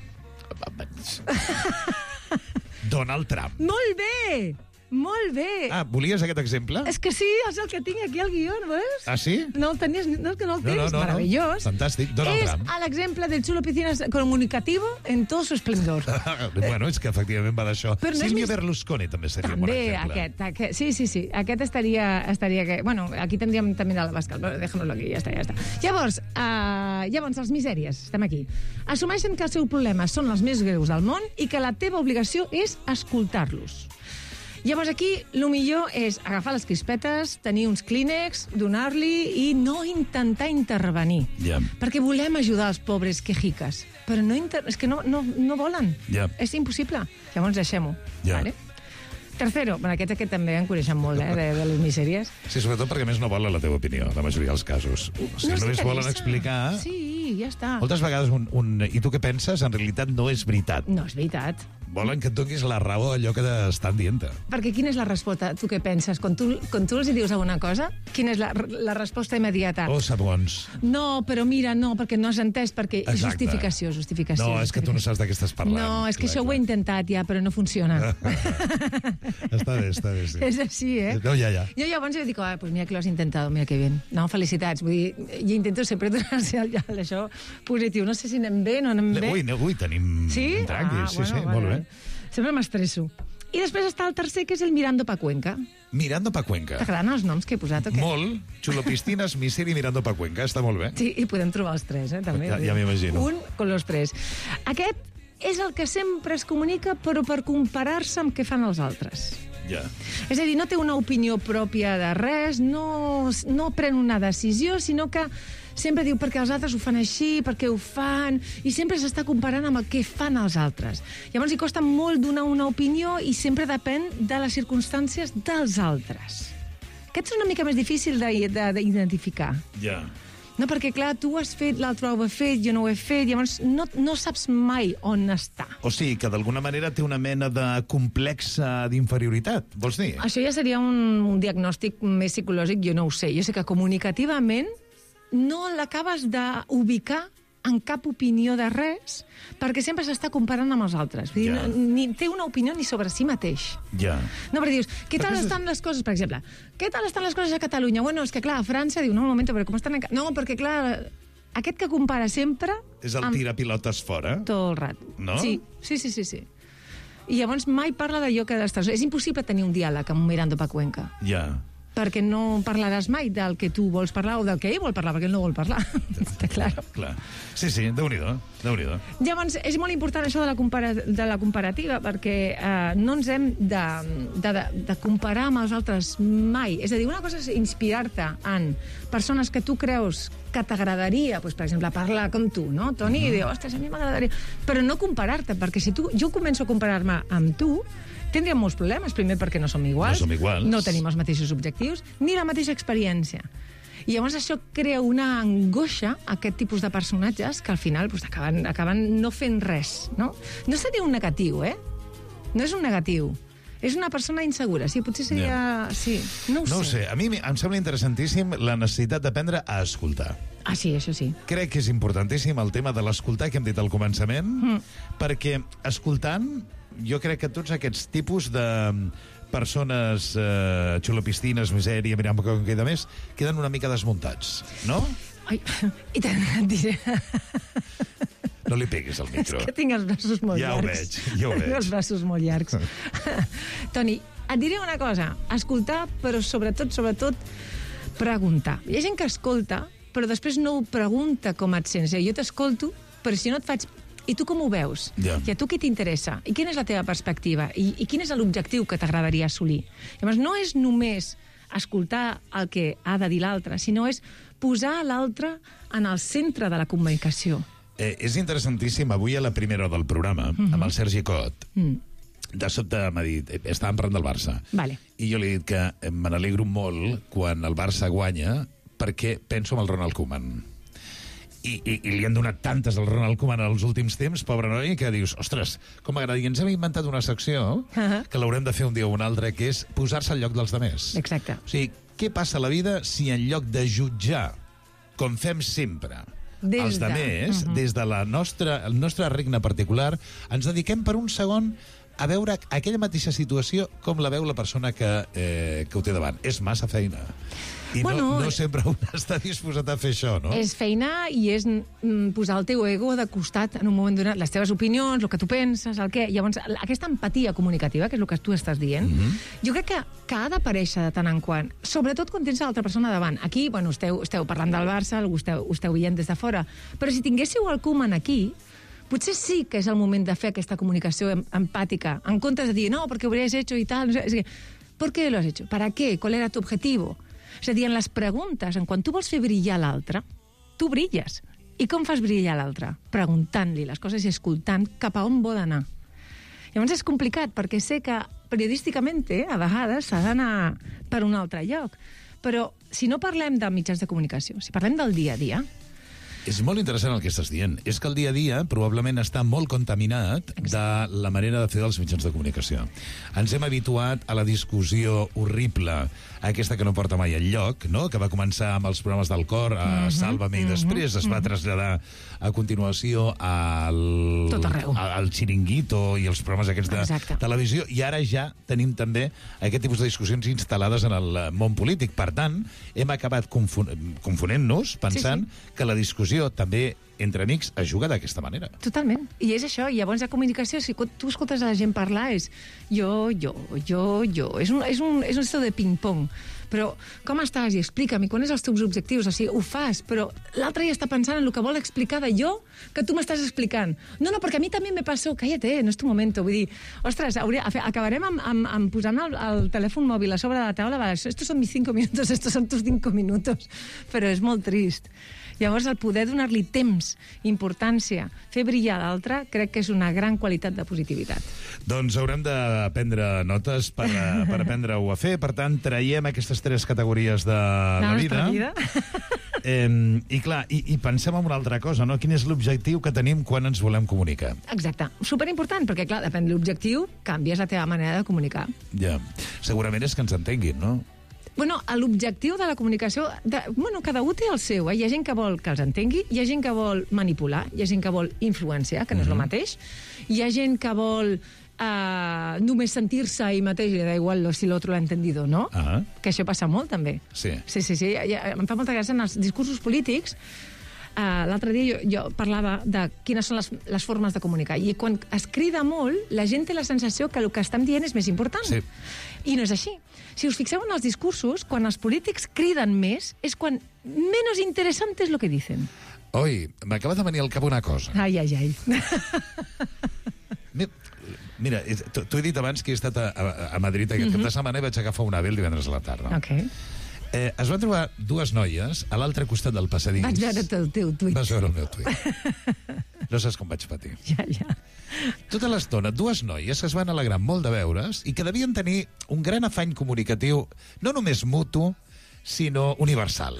Donald Trump. Molt bé! Molt bé! Ah, volies aquest exemple? És que sí, és el que tinc aquí al guió, no veus? Ah, sí? No el tenies, no és que no el No, tens, no, no, no. meravellós. Fantàstic, Donald és Trump. l'exemple del xulo piscinas comunicativo en todo su esplendor. Bueno, és que efectivament va d'això. Però no és Sílvia mis- Berlusconi també seria un bon També, exemple. aquest, aquest, sí, sí, sí, aquest estaria, estaria que, bueno, aquí tindríem també el Bascal, però déjamelo aquí, ja està, ja està. Llavors, uh, llavors, els misèries, estem aquí. Assumeixen que els seus problemes són els més greus del món i que la teva obligació és escoltar-los. Llavors aquí, el millor és agafar les crispetes, tenir uns clínex, donar-li i no intentar intervenir. Ja. Perquè volem ajudar els pobres quejiques, però no inter... és que no, no, no volen. Ja. És impossible. Llavors deixem-ho. Ja. Vale? Tercero, bueno, aquest, aquest també en coneixen molt, eh, de, de les misèries. Sí, sobretot perquè a més no volen la teva opinió, la majoria dels casos. O sigui, No només volen s'interessa. explicar... Sí, ja està. Moltes vegades un, un... I tu què penses? En realitat no és veritat. No, és veritat. Volen que et donis la raó a allò que estan dient-te. Perquè quina és la resposta? Tu què penses? Quan tu, quan tu els hi dius alguna cosa, quina és la, la resposta immediata? Oh, segons. No, però mira, no, perquè no has entès, perquè és Exacte. justificació, justificació. No, és que tu no saps de què estàs parlant. No, és que Clar, això ho he intentat ja, però no funciona. Està bé, està bé, sí. És així, eh? No, ja, ja. Jo llavors jo dic, ah, pues mira que lo has intentado, mira que bien. No, felicitats. Vull dir, jo intento sempre donar-se el, el, això positiu. No sé si anem bé, no anem bé. Ui, no, ui, tenim Sí? un tranqui. Ah, sí, bueno, sí, vale, molt bé. vale. Sempre m'estresso. I després està el tercer, que és el Mirando pa Cuenca. Mirando pa Cuenca. T'agraden els noms que he posat o què? Molt. Xulopistines, miseri, Mirando pa Cuenca. Està molt bé. Sí, i podem trobar els tres, eh, també. Ja- ja m'imagino. Un con los tres. Aquest és el que sempre es comunica, però per comparar-se amb què fan els altres. Ja. És a dir, no té una opinió pròpia de res, no, no pren una decisió, sinó que sempre diu perquè els altres ho fan així, perquè ho fan, i sempre s'està comparant amb el que fan els altres. Llavors li costa molt donar una opinió i sempre depèn de les circumstàncies dels altres. Aquest és una mica més difícil de- de- d'identificar. Ja. No, perquè, clar, tu ho has fet, l'altre ho ha fet, jo no ho he fet, llavors no, no saps mai on està. O sigui, que d'alguna manera té una mena de complexa d'inferioritat, vols dir? Això ja seria un, un diagnòstic més psicològic, jo no ho sé. Jo sé que comunicativament no l'acabes d'ubicar en cap opinió de res, perquè sempre s'està comparant amb els altres. Vull dir, Ja. ni té una opinió ni sobre si mateix. Ja. No, perquè dius, què tal Però és- estan les coses, per exemple? Què tal estan les coses a Catalunya? Bueno, és que clar, a França diu, no, un moment, però com estan... A... Ca-?" No, perquè clar, aquest que compara sempre... És el amb- tira pilotes fora? Tot el rat. No? Sí, sí, sí, sí. sí. I llavors mai parla d'allò que ha d'estar... És impossible tenir un diàleg amb un Mirando pa Cuenca. Ja. perquè no parlaràs mai del que tu vols parlar o del que ell vol parlar, perquè ell no vol parlar. Està clar. Clar. Sí, sí, Déu-n'hi-do, Déu-n'hi-do. Llavors, és molt important això de la, compara de la comparativa, perquè eh, no ens hem de, de, de, de comparar amb els altres mai. És a dir, una cosa és inspirar-te en persones que tu creus que t'agradaria, doncs, per exemple, parlar com tu, no, Toni? Mm-hmm. I dir, ostres, a mi m'agradaria... Però no comparar-te, perquè si tu, jo començo a comparar-me amb tu, tindríem molts problemes, primer perquè no som iguals, no, som iguals. no tenim els mateixos objectius, ni la mateixa experiència. I llavors això crea una angoixa a aquest tipus de personatges que al final doncs, acaben, acaben no fent res, no? No seria un negatiu, eh? No és un negatiu. És una persona insegura, sí, potser seria... Yeah. Sí, no ho no sé. No ho sé, a mi em sembla interessantíssim la necessitat d'aprendre a escoltar. Ah, sí, això sí. Crec que és importantíssim el tema de l'escoltar que hem dit al començament, mm. perquè escoltant, jo crec que tots aquests tipus de persones eh, xulopistines, misèria, mirant com queda més, queden una mica desmuntats, no? Ai, i tant, et diré... No li peguis al micro. És que tinc els braços molt ja llargs. Ja ho veig, ja ho veig. Tinc els braços molt llargs. Toni, et diré una cosa. Escoltar, però sobretot, sobretot, preguntar. Hi ha gent que escolta, però després no ho pregunta com et sents. Jo t'escolto, però si no et faig... I tu com ho veus? Yeah. I a tu què t'interessa? I quina és la teva perspectiva? I, i quin és l'objectiu que t'agradaria assolir? Llavors, no és només escoltar el que ha de dir l'altre, sinó és posar l'altre en el centre de la comunicació. Eh, és interessantíssim, avui a la primera hora del programa, mm-hmm. amb el Sergi Cot, mm. de sobte m'ha dit, eh, estàvem parlant del Barça, vale. I jo li he dit que me n'alegro molt quan el Barça guanya perquè penso en el Ronald Koeman. I, i, i li han donat tantes al Ronald Koeman els últims temps, pobre noi, que dius, ostres, com m'agrada. I ens hem inventat una secció uh-huh. que l'haurem de fer un dia o un altre, que és posar-se al lloc dels demés. Exacte. O sigui, què passa a la vida si en lloc de jutjar, com fem sempre, des els demés, de... uh-huh. des de la nostra, el nostre regne particular, ens dediquem per un segon a veure aquella mateixa situació com la veu la persona que, eh, que ho té davant. És massa feina. I bueno, no, no sempre un està disposat a fer això, no? És feina i és mm, posar el teu ego de costat en un moment donat, les teves opinions, el que tu penses, el què... Llavors, aquesta empatia comunicativa, que és el que tu estàs dient, mm-hmm. jo crec que, que ha d'aparèixer de tant en quant, sobretot quan tens l'altra persona davant. Aquí, bueno, esteu, esteu parlant del Barça, ho esteu, ho esteu veient des de fora, però si tinguéssiu el Koeman aquí, potser sí que és el moment de fer aquesta comunicació em empàtica, en comptes de dir, no, perquè ho hauries hecho i tal, no sé, ¿por qué lo has hecho? ¿Para qué? ¿Cuál era tu objetivo? És a dir, en les preguntes, en quan tu vols fer brillar l'altre, tu brilles. I com fas brillar l'altre? Preguntant-li les coses i escoltant cap a on vol anar. Llavors és complicat, perquè sé que periodísticament, eh, a vegades, s'ha d'anar per un altre lloc. Però si no parlem de mitjans de comunicació, si parlem del dia a dia... És molt interessant el que estàs dient. És que el dia a dia probablement està molt contaminat de la manera de fer dels mitjans de comunicació. Ens hem habituat a la discussió horrible, aquesta que no porta mai enlloc, no? Que va començar amb els programes del cor, a uh-huh, Sálvame, uh-huh, i després es va uh-huh. traslladar a continuació al, al Chiringuito i els programes aquests de Exacte. televisió, i ara ja tenim també aquest tipus de discussions instal·lades en el món polític. Per tant, hem acabat confon confonent-nos, pensant sí, sí. que la discussió també entre amics es juga d'aquesta manera. Totalment. I és això. I llavors la comunicació, si tu escoltes a la gent parlar, és jo, jo, jo, jo. És un, és un, és un estil de ping-pong. Però com estàs? I explica'm, i quan és els teus objectius? O sigui, ho fas, però l'altre ja està pensant en el que vol explicar de jo que tu m'estàs explicant. No, no, perquè a mi també me passó. Cállate, no és tu momento. Vull dir, ostres, hauria, acabarem amb, amb, amb posant el, el telèfon mòbil a sobre de la taula. Va, estos son mis cinco minutos, estos son tus cinco minutos. Però és molt trist. Llavors, el poder donar-li temps, importància, fer brillar l'altre, crec que és una gran qualitat de positivitat. Doncs haurem de prendre notes per, per aprendre-ho a fer. Per tant, traiem aquestes tres categories de la, la vida. vida. Eh, I clar, i, i pensem en una altra cosa, no? Quin és l'objectiu que tenim quan ens volem comunicar? Exacte. Superimportant, perquè clar, depèn de l'objectiu, canvies la teva manera de comunicar. Ja. Segurament és que ens entenguin, no? Bueno, l'objectiu de la comunicació... De, bueno, cada un té el seu, eh? Hi ha gent que vol que els entengui, hi ha gent que vol manipular, hi ha gent que vol influenciar, que no és el mateix, hi ha gent que vol uh, només sentir-se i mateix, li da igual si l'altre l'ha entendido, no? Ah. Que això passa molt, també. Sí. Sí, sí, sí. Ja, em fa molta gràcia en els discursos polítics. uh, l'altre dia jo, jo parlava de quines són les, les formes de comunicar, i quan es crida molt, la gent té la sensació que el que estem dient és més important. Sí. I no és així. Si us fixeu en els discursos, quan els polítics criden més, és quan menos interesante es lo que dicen. Oi, m'acaba de venir al cap una cosa. Ai, ai, ai. Mira, t'ho he dit abans que he estat a, a, a Madrid aquest cap de setmana i vaig agafar un ave el divendres a la tarda. Ok. Eh, es van trobar dues noies a l'altre costat del passadís. Vaig veure el teu tuit. Vas veure el meu tuit. No saps com vaig patir. Ja, ja. Tota l'estona, dues noies que es van alegrar molt de veure's i que devien tenir un gran afany comunicatiu, no només mutu, sino universal.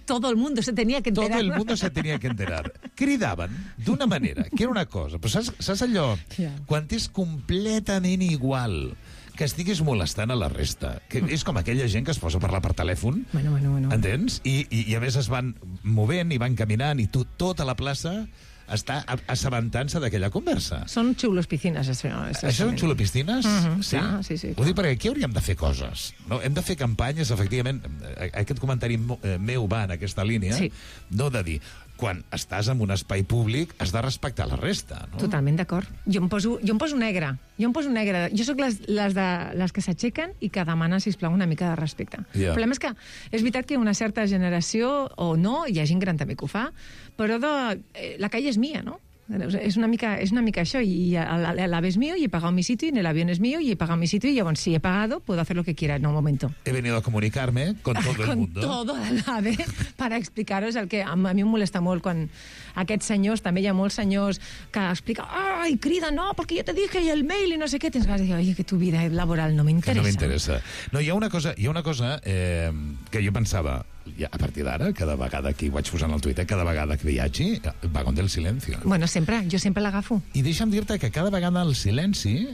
Todo el mundo se tenía que enterar. Todo el mundo se tenía que enterar. Cridaven d'una manera, que era una cosa, però saps, saps allò? Ja. Quan és completament igual que estiguis molestant a la resta, que és com aquella gent que es posa a parlar per telèfon, bueno, bueno, bueno. entens? I, i, i a més es van movent i van caminant i tu, tota la plaça està assabentant-se d'aquella conversa. Són xulos piscines. Això, això són xulo piscines? Uh -huh, sí? Clar, sí, sí. Ho dic perquè aquí hauríem de fer coses. No? Hem de fer campanyes, efectivament. Aquest comentari meu va en aquesta línia, sí. No de dir, quan estàs en un espai públic has de respectar la resta. No? Totalment d'acord. Jo, em poso, jo em poso negre. Jo em poso negre. Jo sóc les, les, de, les que s'aixequen i que demanen, sisplau, una mica de respecte. Yeah. El problema és que és veritat que una certa generació, o no, hi ha gent gran també que ho fa, però de, eh, la calle és mía, no? És una mica, és una mica això, y el ave es mío y he pagado mi sitio y el avión es mío y he pagado mi sitio y bueno, si he pagado puedo hacer lo que quiera en un momento. He venido a comunicarme con todo el mundo. Con todo el ave para explicaros el que a mi em molesta molt quan aquests senyors, també hi ha molts senyors que expliquen, ai, crida, no, perquè jo te dije i el mail i no sé què, tens ganes de dir, oye, que tu vida laboral no m'interessa. Que no m'interessa. No, hi ha una cosa, hi ha una cosa eh, que jo pensava, ja, a partir d'ara, cada vegada que hi vaig posant al Twitter, cada vegada que viatgi, vagón del silencio. Bueno, sempre, jo sempre l'agafo. I deixa'm dir-te que cada vegada el silenci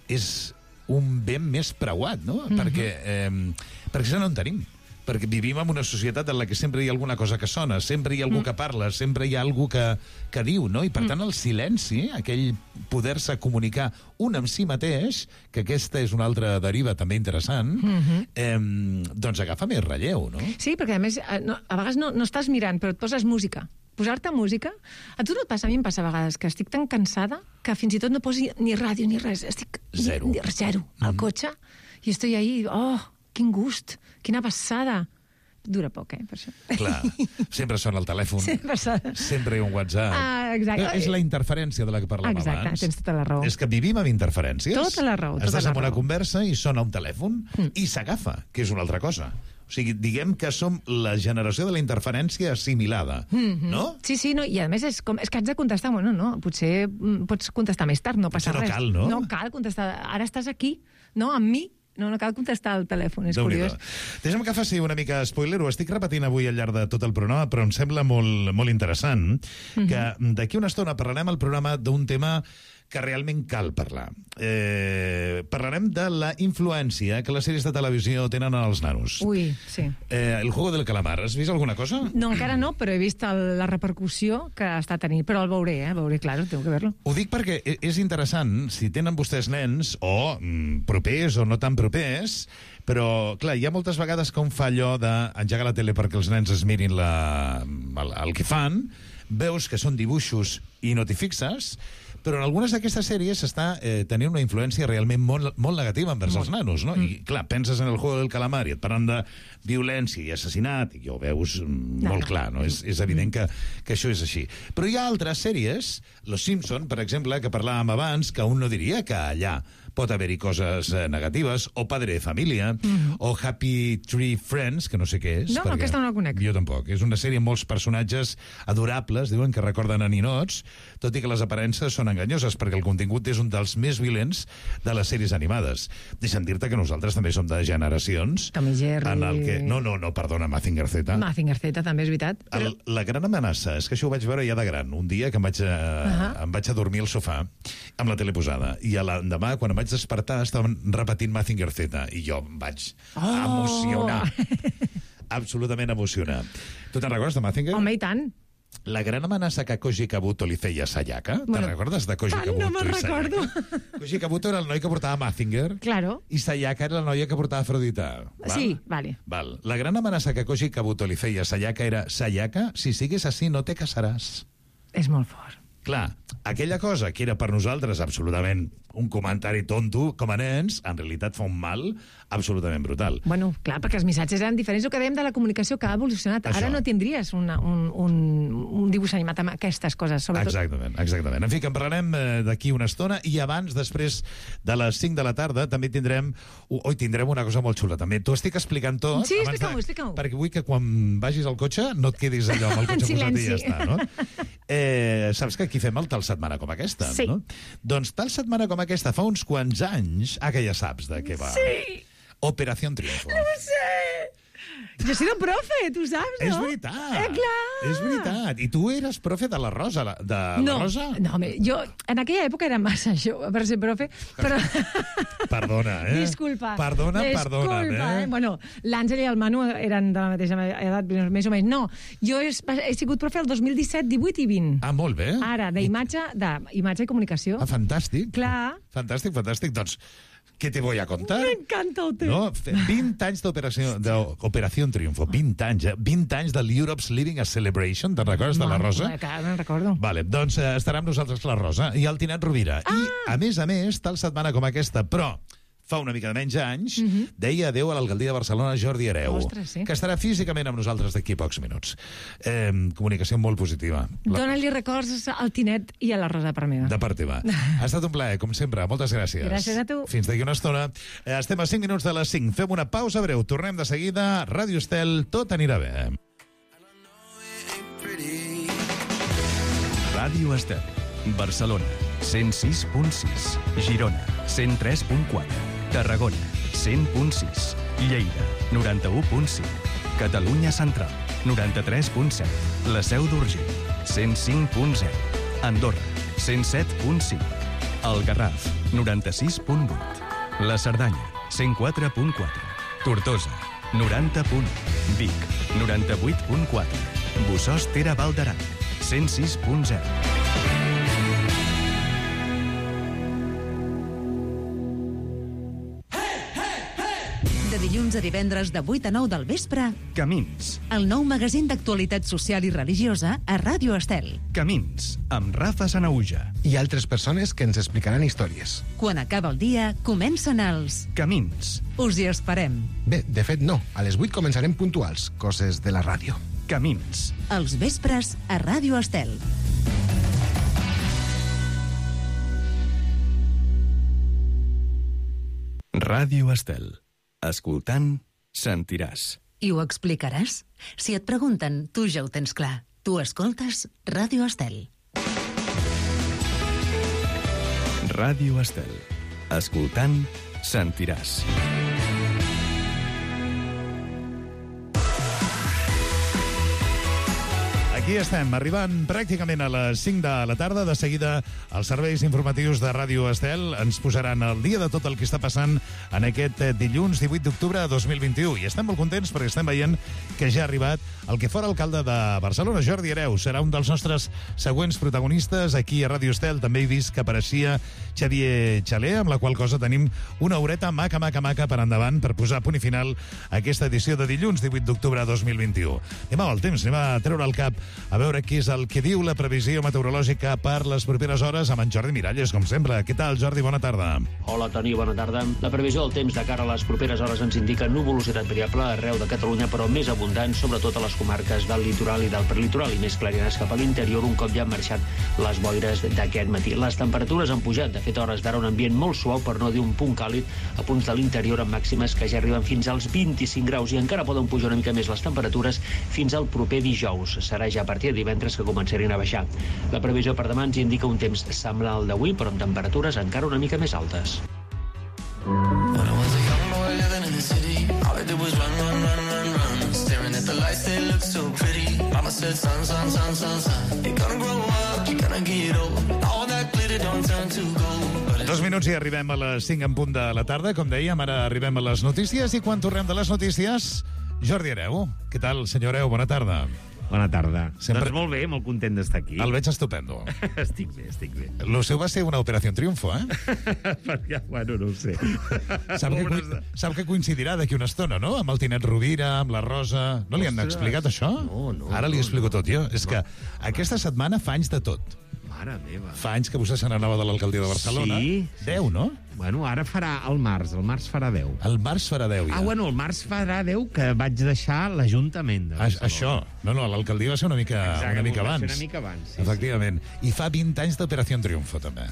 és un ben més preuat, no? Mm-hmm. Perquè, eh, perquè ja no en tenim. Perquè vivim en una societat en la que sempre hi ha alguna cosa que sona, sempre hi ha algú mm. que parla, sempre hi ha algú que, que diu, no? I per mm. tant el silenci, aquell poder-se comunicar un amb si mateix, que aquesta és una altra deriva també interessant, mm-hmm. eh, doncs agafa més relleu, no? Sí, perquè a més, no, a vegades no, no estàs mirant, però et poses música. Posar-te música... A tu no et passa? A mi em passa a vegades que estic tan cansada que fins i tot no posi ni ràdio ni res. Estic... Zero. Ni, ni, zero. Al mm. cotxe. I estoy ahí, oh, quin gust, quina passada. Dura poc, eh, per això. Clar, sempre sona el telèfon. Sempre sona. Sempre hi ha un WhatsApp. Ah, exacte. És la interferència de la que parlàvem exacte, abans. Exacte, tens tota la raó. És que vivim amb interferències. Tota la raó, tota Estàs la en una raó. conversa i sona un telèfon mm. i s'agafa, que és una altra cosa. O sigui, diguem que som la generació de la interferència assimilada, mm-hmm. no? Sí, sí, no, i a més és, com, és que haig de contestar, bueno, no, potser mm, pots contestar més tard, no passa Potser no res. cal, no? No cal contestar, ara estàs aquí, no, amb mi, no, no cal contestar al telèfon, és curiós. Deixa'm que faci una mica spoiler, ho estic repetint avui al llarg de tot el programa, però em sembla molt, molt interessant mm-hmm. que d'aquí una estona parlarem al programa d'un tema que realment cal parlar. Eh, parlarem de la influència que les sèries de televisió tenen en els nanos. Ui, sí. Eh, el juego del calamar, has vist alguna cosa? No, encara no, però he vist el, la repercussió que està tenint. Però el veuré, eh? El veuré, claro, tengo que verlo. Ho dic perquè és interessant, si tenen vostès nens, o mm, propers o no tan propers, però, clar, hi ha moltes vegades que un fa allò d'engegar la tele perquè els nens es mirin la, el, el que fan, veus que són dibuixos i no t'hi fixes, però en algunes d'aquestes sèries s'està eh, tenint una influència realment molt, molt negativa envers molt. els nanos, no? Mm. I, clar, penses en el juego del calamar i et parlen de violència i assassinat, i ja ho veus mm, no, molt no. clar, no? És, és evident que, que això és així. Però hi ha altres sèries, Los Simpson, per exemple, que parlàvem abans, que un no diria que allà pot haver-hi coses eh, negatives, o Padre de Família, mm. o Happy Tree Friends, que no sé què és. No, no, aquesta no la conec. Jo tampoc. És una sèrie amb molts personatges adorables, diuen que recorden a ninots, tot i que les aparences són enganyoses, perquè el contingut és un dels més violents de les sèries animades. Deixa'm dir-te que nosaltres també som de generacions... Tom i Jerry... En el que... No, no, no, perdona, Mazinger Z. Mazinger Z, també és veritat. Però... El, la gran amenaça és que això ho vaig veure ja de gran. Un dia que em vaig a, uh-huh. em vaig a dormir al sofà amb la tele posada, i l'endemà, quan em vaig despertar, estaven repetint Mazinger Z, i jo em vaig oh! emocionar. Absolutament emocionar. Tu te'n recordes de Mazinger? Home, i tant. la gran amenaça que Koji Kabuto li feia a Sayaka. Bueno, Te'n recordes de Koji tant Kabuto no me'n i Sayaka? recordo. Koji Kabuto era el noi que portava Mazinger Claro. i Sayaka era la noia que portava Afrodita. Val? Sí, vale. Val. La gran amenaça que Koji Kabuto li feia a Sayaka era Sayaka, si sigues així no te casaràs. És molt fort. Clar, aquella cosa que era per nosaltres absolutament un comentari tonto, com a nens, en realitat fa un mal absolutament brutal. Bueno, clar, perquè els missatges eren diferents. El que dèiem de la comunicació que ha evolucionat. Això. Ara no tindries una, un, un, un dibuix animat amb aquestes coses, sobretot. Exactament, exactament. En fi, que en parlarem eh, d'aquí una estona i abans, després de les cinc de la tarda, també tindrem... Ui, tindrem una cosa molt xula, també. T'ho estic explicant tot. Sí, abans explica-m'ho, de... explica-m'ho. Perquè vull que quan vagis al cotxe no et quedis allò amb el cotxe posat i ja està, no? Eh, saps que aquí fem el tal setmana com aquesta, Sí. no? Doncs tal setmana com aquesta, fa uns quants anys, ah, que ja saps de què va. Sí. Operación Triunfo. No ho sé. Jo he sido profe, tu saps, no? És veritat. Eh, clar. És veritat. I tu eres profe de la Rosa, la- de la No, Rosa? no, home, jo en aquella època era massa jove per ser profe, però... Perdona, eh? Disculpa. Perdona, Disculpa, perdona, eh? eh? Bueno, l'Àngel i el Manu eren de la mateixa edat, més o menys. No, jo he, he sigut profe el dos mil disset, divuit i vint. Ah, molt bé. Ara, d'imatge d'imatge i comunicació. Ah, fantàstic. Clar. Fantàstic, fantàstic. Doncs, què te voy a contar? M'encanta el teu. No, fe- vint anys d'operació d'Operació Triunfo, vint anys, eh? vint anys de l'Europe's Living a Celebration, te'n recordes de la Rosa? Que me'n recordo. Vale, doncs eh, estarà amb nosaltres la Rosa i el Tinet Rovira. Ah! I, a més a més, tal setmana com aquesta, però fa una mica de menys anys, uh -huh. deia adeu a l'alcaldia de Barcelona Jordi Hereu, Ostres, sí. que estarà físicament amb nosaltres d'aquí a pocs minuts. Eh, comunicació molt positiva. La... Dóna-li records al Tinet i a la Rosa per meva. De part teva. Ha estat un plaer, com sempre. Moltes gràcies. Gràcies a tu. Fins d'aquí una estona. Eh, Estem a cinc minuts de les cinc. Fem una pausa breu. Tornem de seguida. Ràdio Estel, tot anirà bé. Ràdio Estel, Barcelona, cent sis punt sis, Girona, cent tres punt quatre, Tarragona, cent punt sis, Lleida, noranta-u punt cinc, Catalunya Central, noranta-tres punt set, La Seu d'Urgell, cent cinc punt zero, Andorra, cent set punt cinc, El Garraf, noranta-sis punt vuit, La Cerdanya, cent quatre punt quatre, Tortosa, noranta punt u, Vic, noranta-vuit punt quatre, Bossòst Tere Val d'Aran, cent sis punt zero. De dilluns a divendres de vuit a nou del vespre, Camins, el nou magazín d'actualitat social i religiosa a Ràdio Estel. Camins, amb Rafa Sanauja. I altres persones que ens explicaran històries. Quan acaba el dia, comencen els... Camins, Us hi esperem. Bé, de fet, no. A les vuit començarem puntuals. Coses de la ràdio. Camins. Els vespres a Ràdio Estel. Ràdio Estel. Escoltant, sentiràs. I ho explicaràs? Si et pregunten, tu ja ho tens clar. Tu escoltes Ràdio Estel. Ràdio Estel. Escoltant, sentiràs. Aquí estem, arribant pràcticament a les cinc de la tarda. De seguida, els serveis informatius de Ràdio Estel ens posaran al dia de tot el que està passant en aquest dilluns divuit d'octubre de dos mil vint-i-u. I estem molt contents perquè estem veient que ja ha arribat el que fora alcalde de Barcelona, Jordi Hereu. Serà un dels nostres següents protagonistes aquí a Ràdio Estel. També he vist que apareixia Xavier Xaler, amb la qual cosa tenim una horeta maca, maca, maca per endavant per posar punt i final a aquesta edició de dilluns divuit d'octubre de dos mil vint-i-u. Anem al temps, anem a treure el cap a veure què és el que diu la previsió meteorològica per les properes hores amb en Jordi Miralles, com sempre. Què tal, Jordi? Bona tarda. Hola, Toni, bona tarda. La previsió del temps de cara a les properes hores ens indica nuvolositat variable arreu de Catalunya, però més abundant, sobretot a les comarques del litoral i del prelitoral, i més clarinars cap a l'interior un cop ja han marxat les boires d'aquest matí. Les temperatures han pujat, de fet, a hores d'ara un ambient molt suau, per no dir un punt càlid, a punts de l'interior amb màximes que ja arriben fins als vint-i-cinc graus, i encara poden pujar una mica més les temperatures fins al proper dijous. Serà ja a partir de divendres que començarin a baixar. La previsió per demà ens indica un temps semblant al d'avui, però amb temperatures encara una mica més altes. Dos minuts i arribem a les cinc en punt de la tarda. Com dèiem, ara arribem a les notícies, i quan tornem de les notícies, Jordi Hereu. Què tal, senyor Hereu? Bona tarda. Bona tarda. Sempre... Doncs molt bé, molt content d'estar aquí. El veig estupendo. Estic bé, estic bé. Lo seu va ser una operació triomfo, eh? Perquè, bueno, no ho sé. Sap que, co- sap que coincidirà d'aquí una estona, no? Amb el Tinet Rovira, amb la Rosa... No li han Ostres. explicat això? No, no. Ara li no, explico no. tot jo. És que aquesta setmana fa anys de tot. Mare meva. Fa anys que vostè se n'anava de l'alcaldia de Barcelona. Sí. Deu, no? Bueno, ara farà el març, el març farà deu. El març farà deu, ja. Ah, bueno, el març farà deu que vaig deixar l'Ajuntament de A, Barcelona. això. No, no, l'alcaldia va ser una mica, Exacte, una mica va ser abans. una mica abans, sí, Efectivament. I fa vint anys d'Operació Triomfo, també.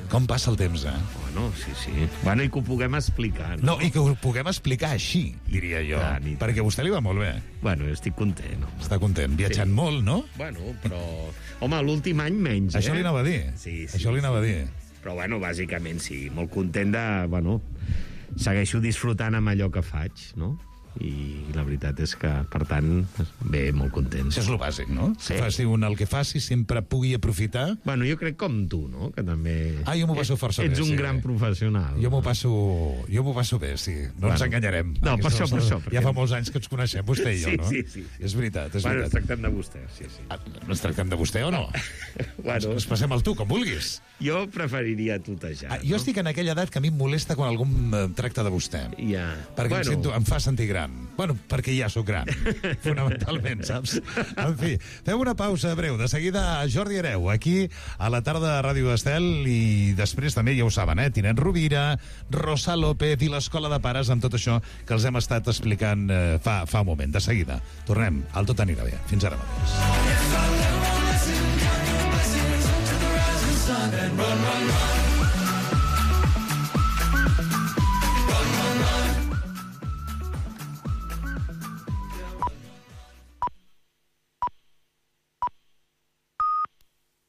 Com passa el temps, eh? Bueno, sí, sí. Bueno, i que ho puguem explicar, no? No, i que ho puguem explicar així, diria jo. Clar, ni- Perquè a vostè li va molt bé. Bueno, jo estic content. Home. Està content. Viatjant Sí. molt, no? Bueno, però... Home, l'últim any menys, Això eh? li anava a dir. Sí, sí. Això li anava a dir. Però, bueno, bàsicament sí. Molt content de... Bueno, segueixo disfrutant amb allò que faig, no? I la veritat és que, per tant, bé, molt content. Això és el bàsic, no? Sí. Que faci un el que faci, sempre pugui aprofitar. Bueno, jo crec com tu, no? Que també... Ah, jo m'ho passo força Ets bé, un sí. gran professional. Jo m'ho passo, jo m'ho passo bé, sí. No Bueno. ens enganyarem. No, per Aquestes això, per coses- això, perquè- Ja fa molts anys que ens coneixem, vostè i jo, Sí, no? sí, sí, sí. És veritat, és Bueno, ens veritat. tractem de vostè, sí, sí. Ah, ens tractem de vostè o no? Bueno. Ens passem al tu, com vulguis. Jo preferiria tutejar. Ah, jo estic en aquella edat que a mi em molesta quan algú em tracta de vostè. Ja. Perquè Bueno. em, sento, em fa sentir gran. Bueno, perquè ja sóc gran, fonamentalment, saps? En fi, fem una pausa breu. De seguida, Jordi Hereu, aquí a la tarda de Ràdio Estel, i després també, ja ho saben, eh? Tinet Rovira, Rosa López i l'Escola de Pares, amb tot això que els hem estat explicant eh, fa, fa un moment. De seguida, tornem al Tot anirà bé. Fins ara mateix. Run, run, run.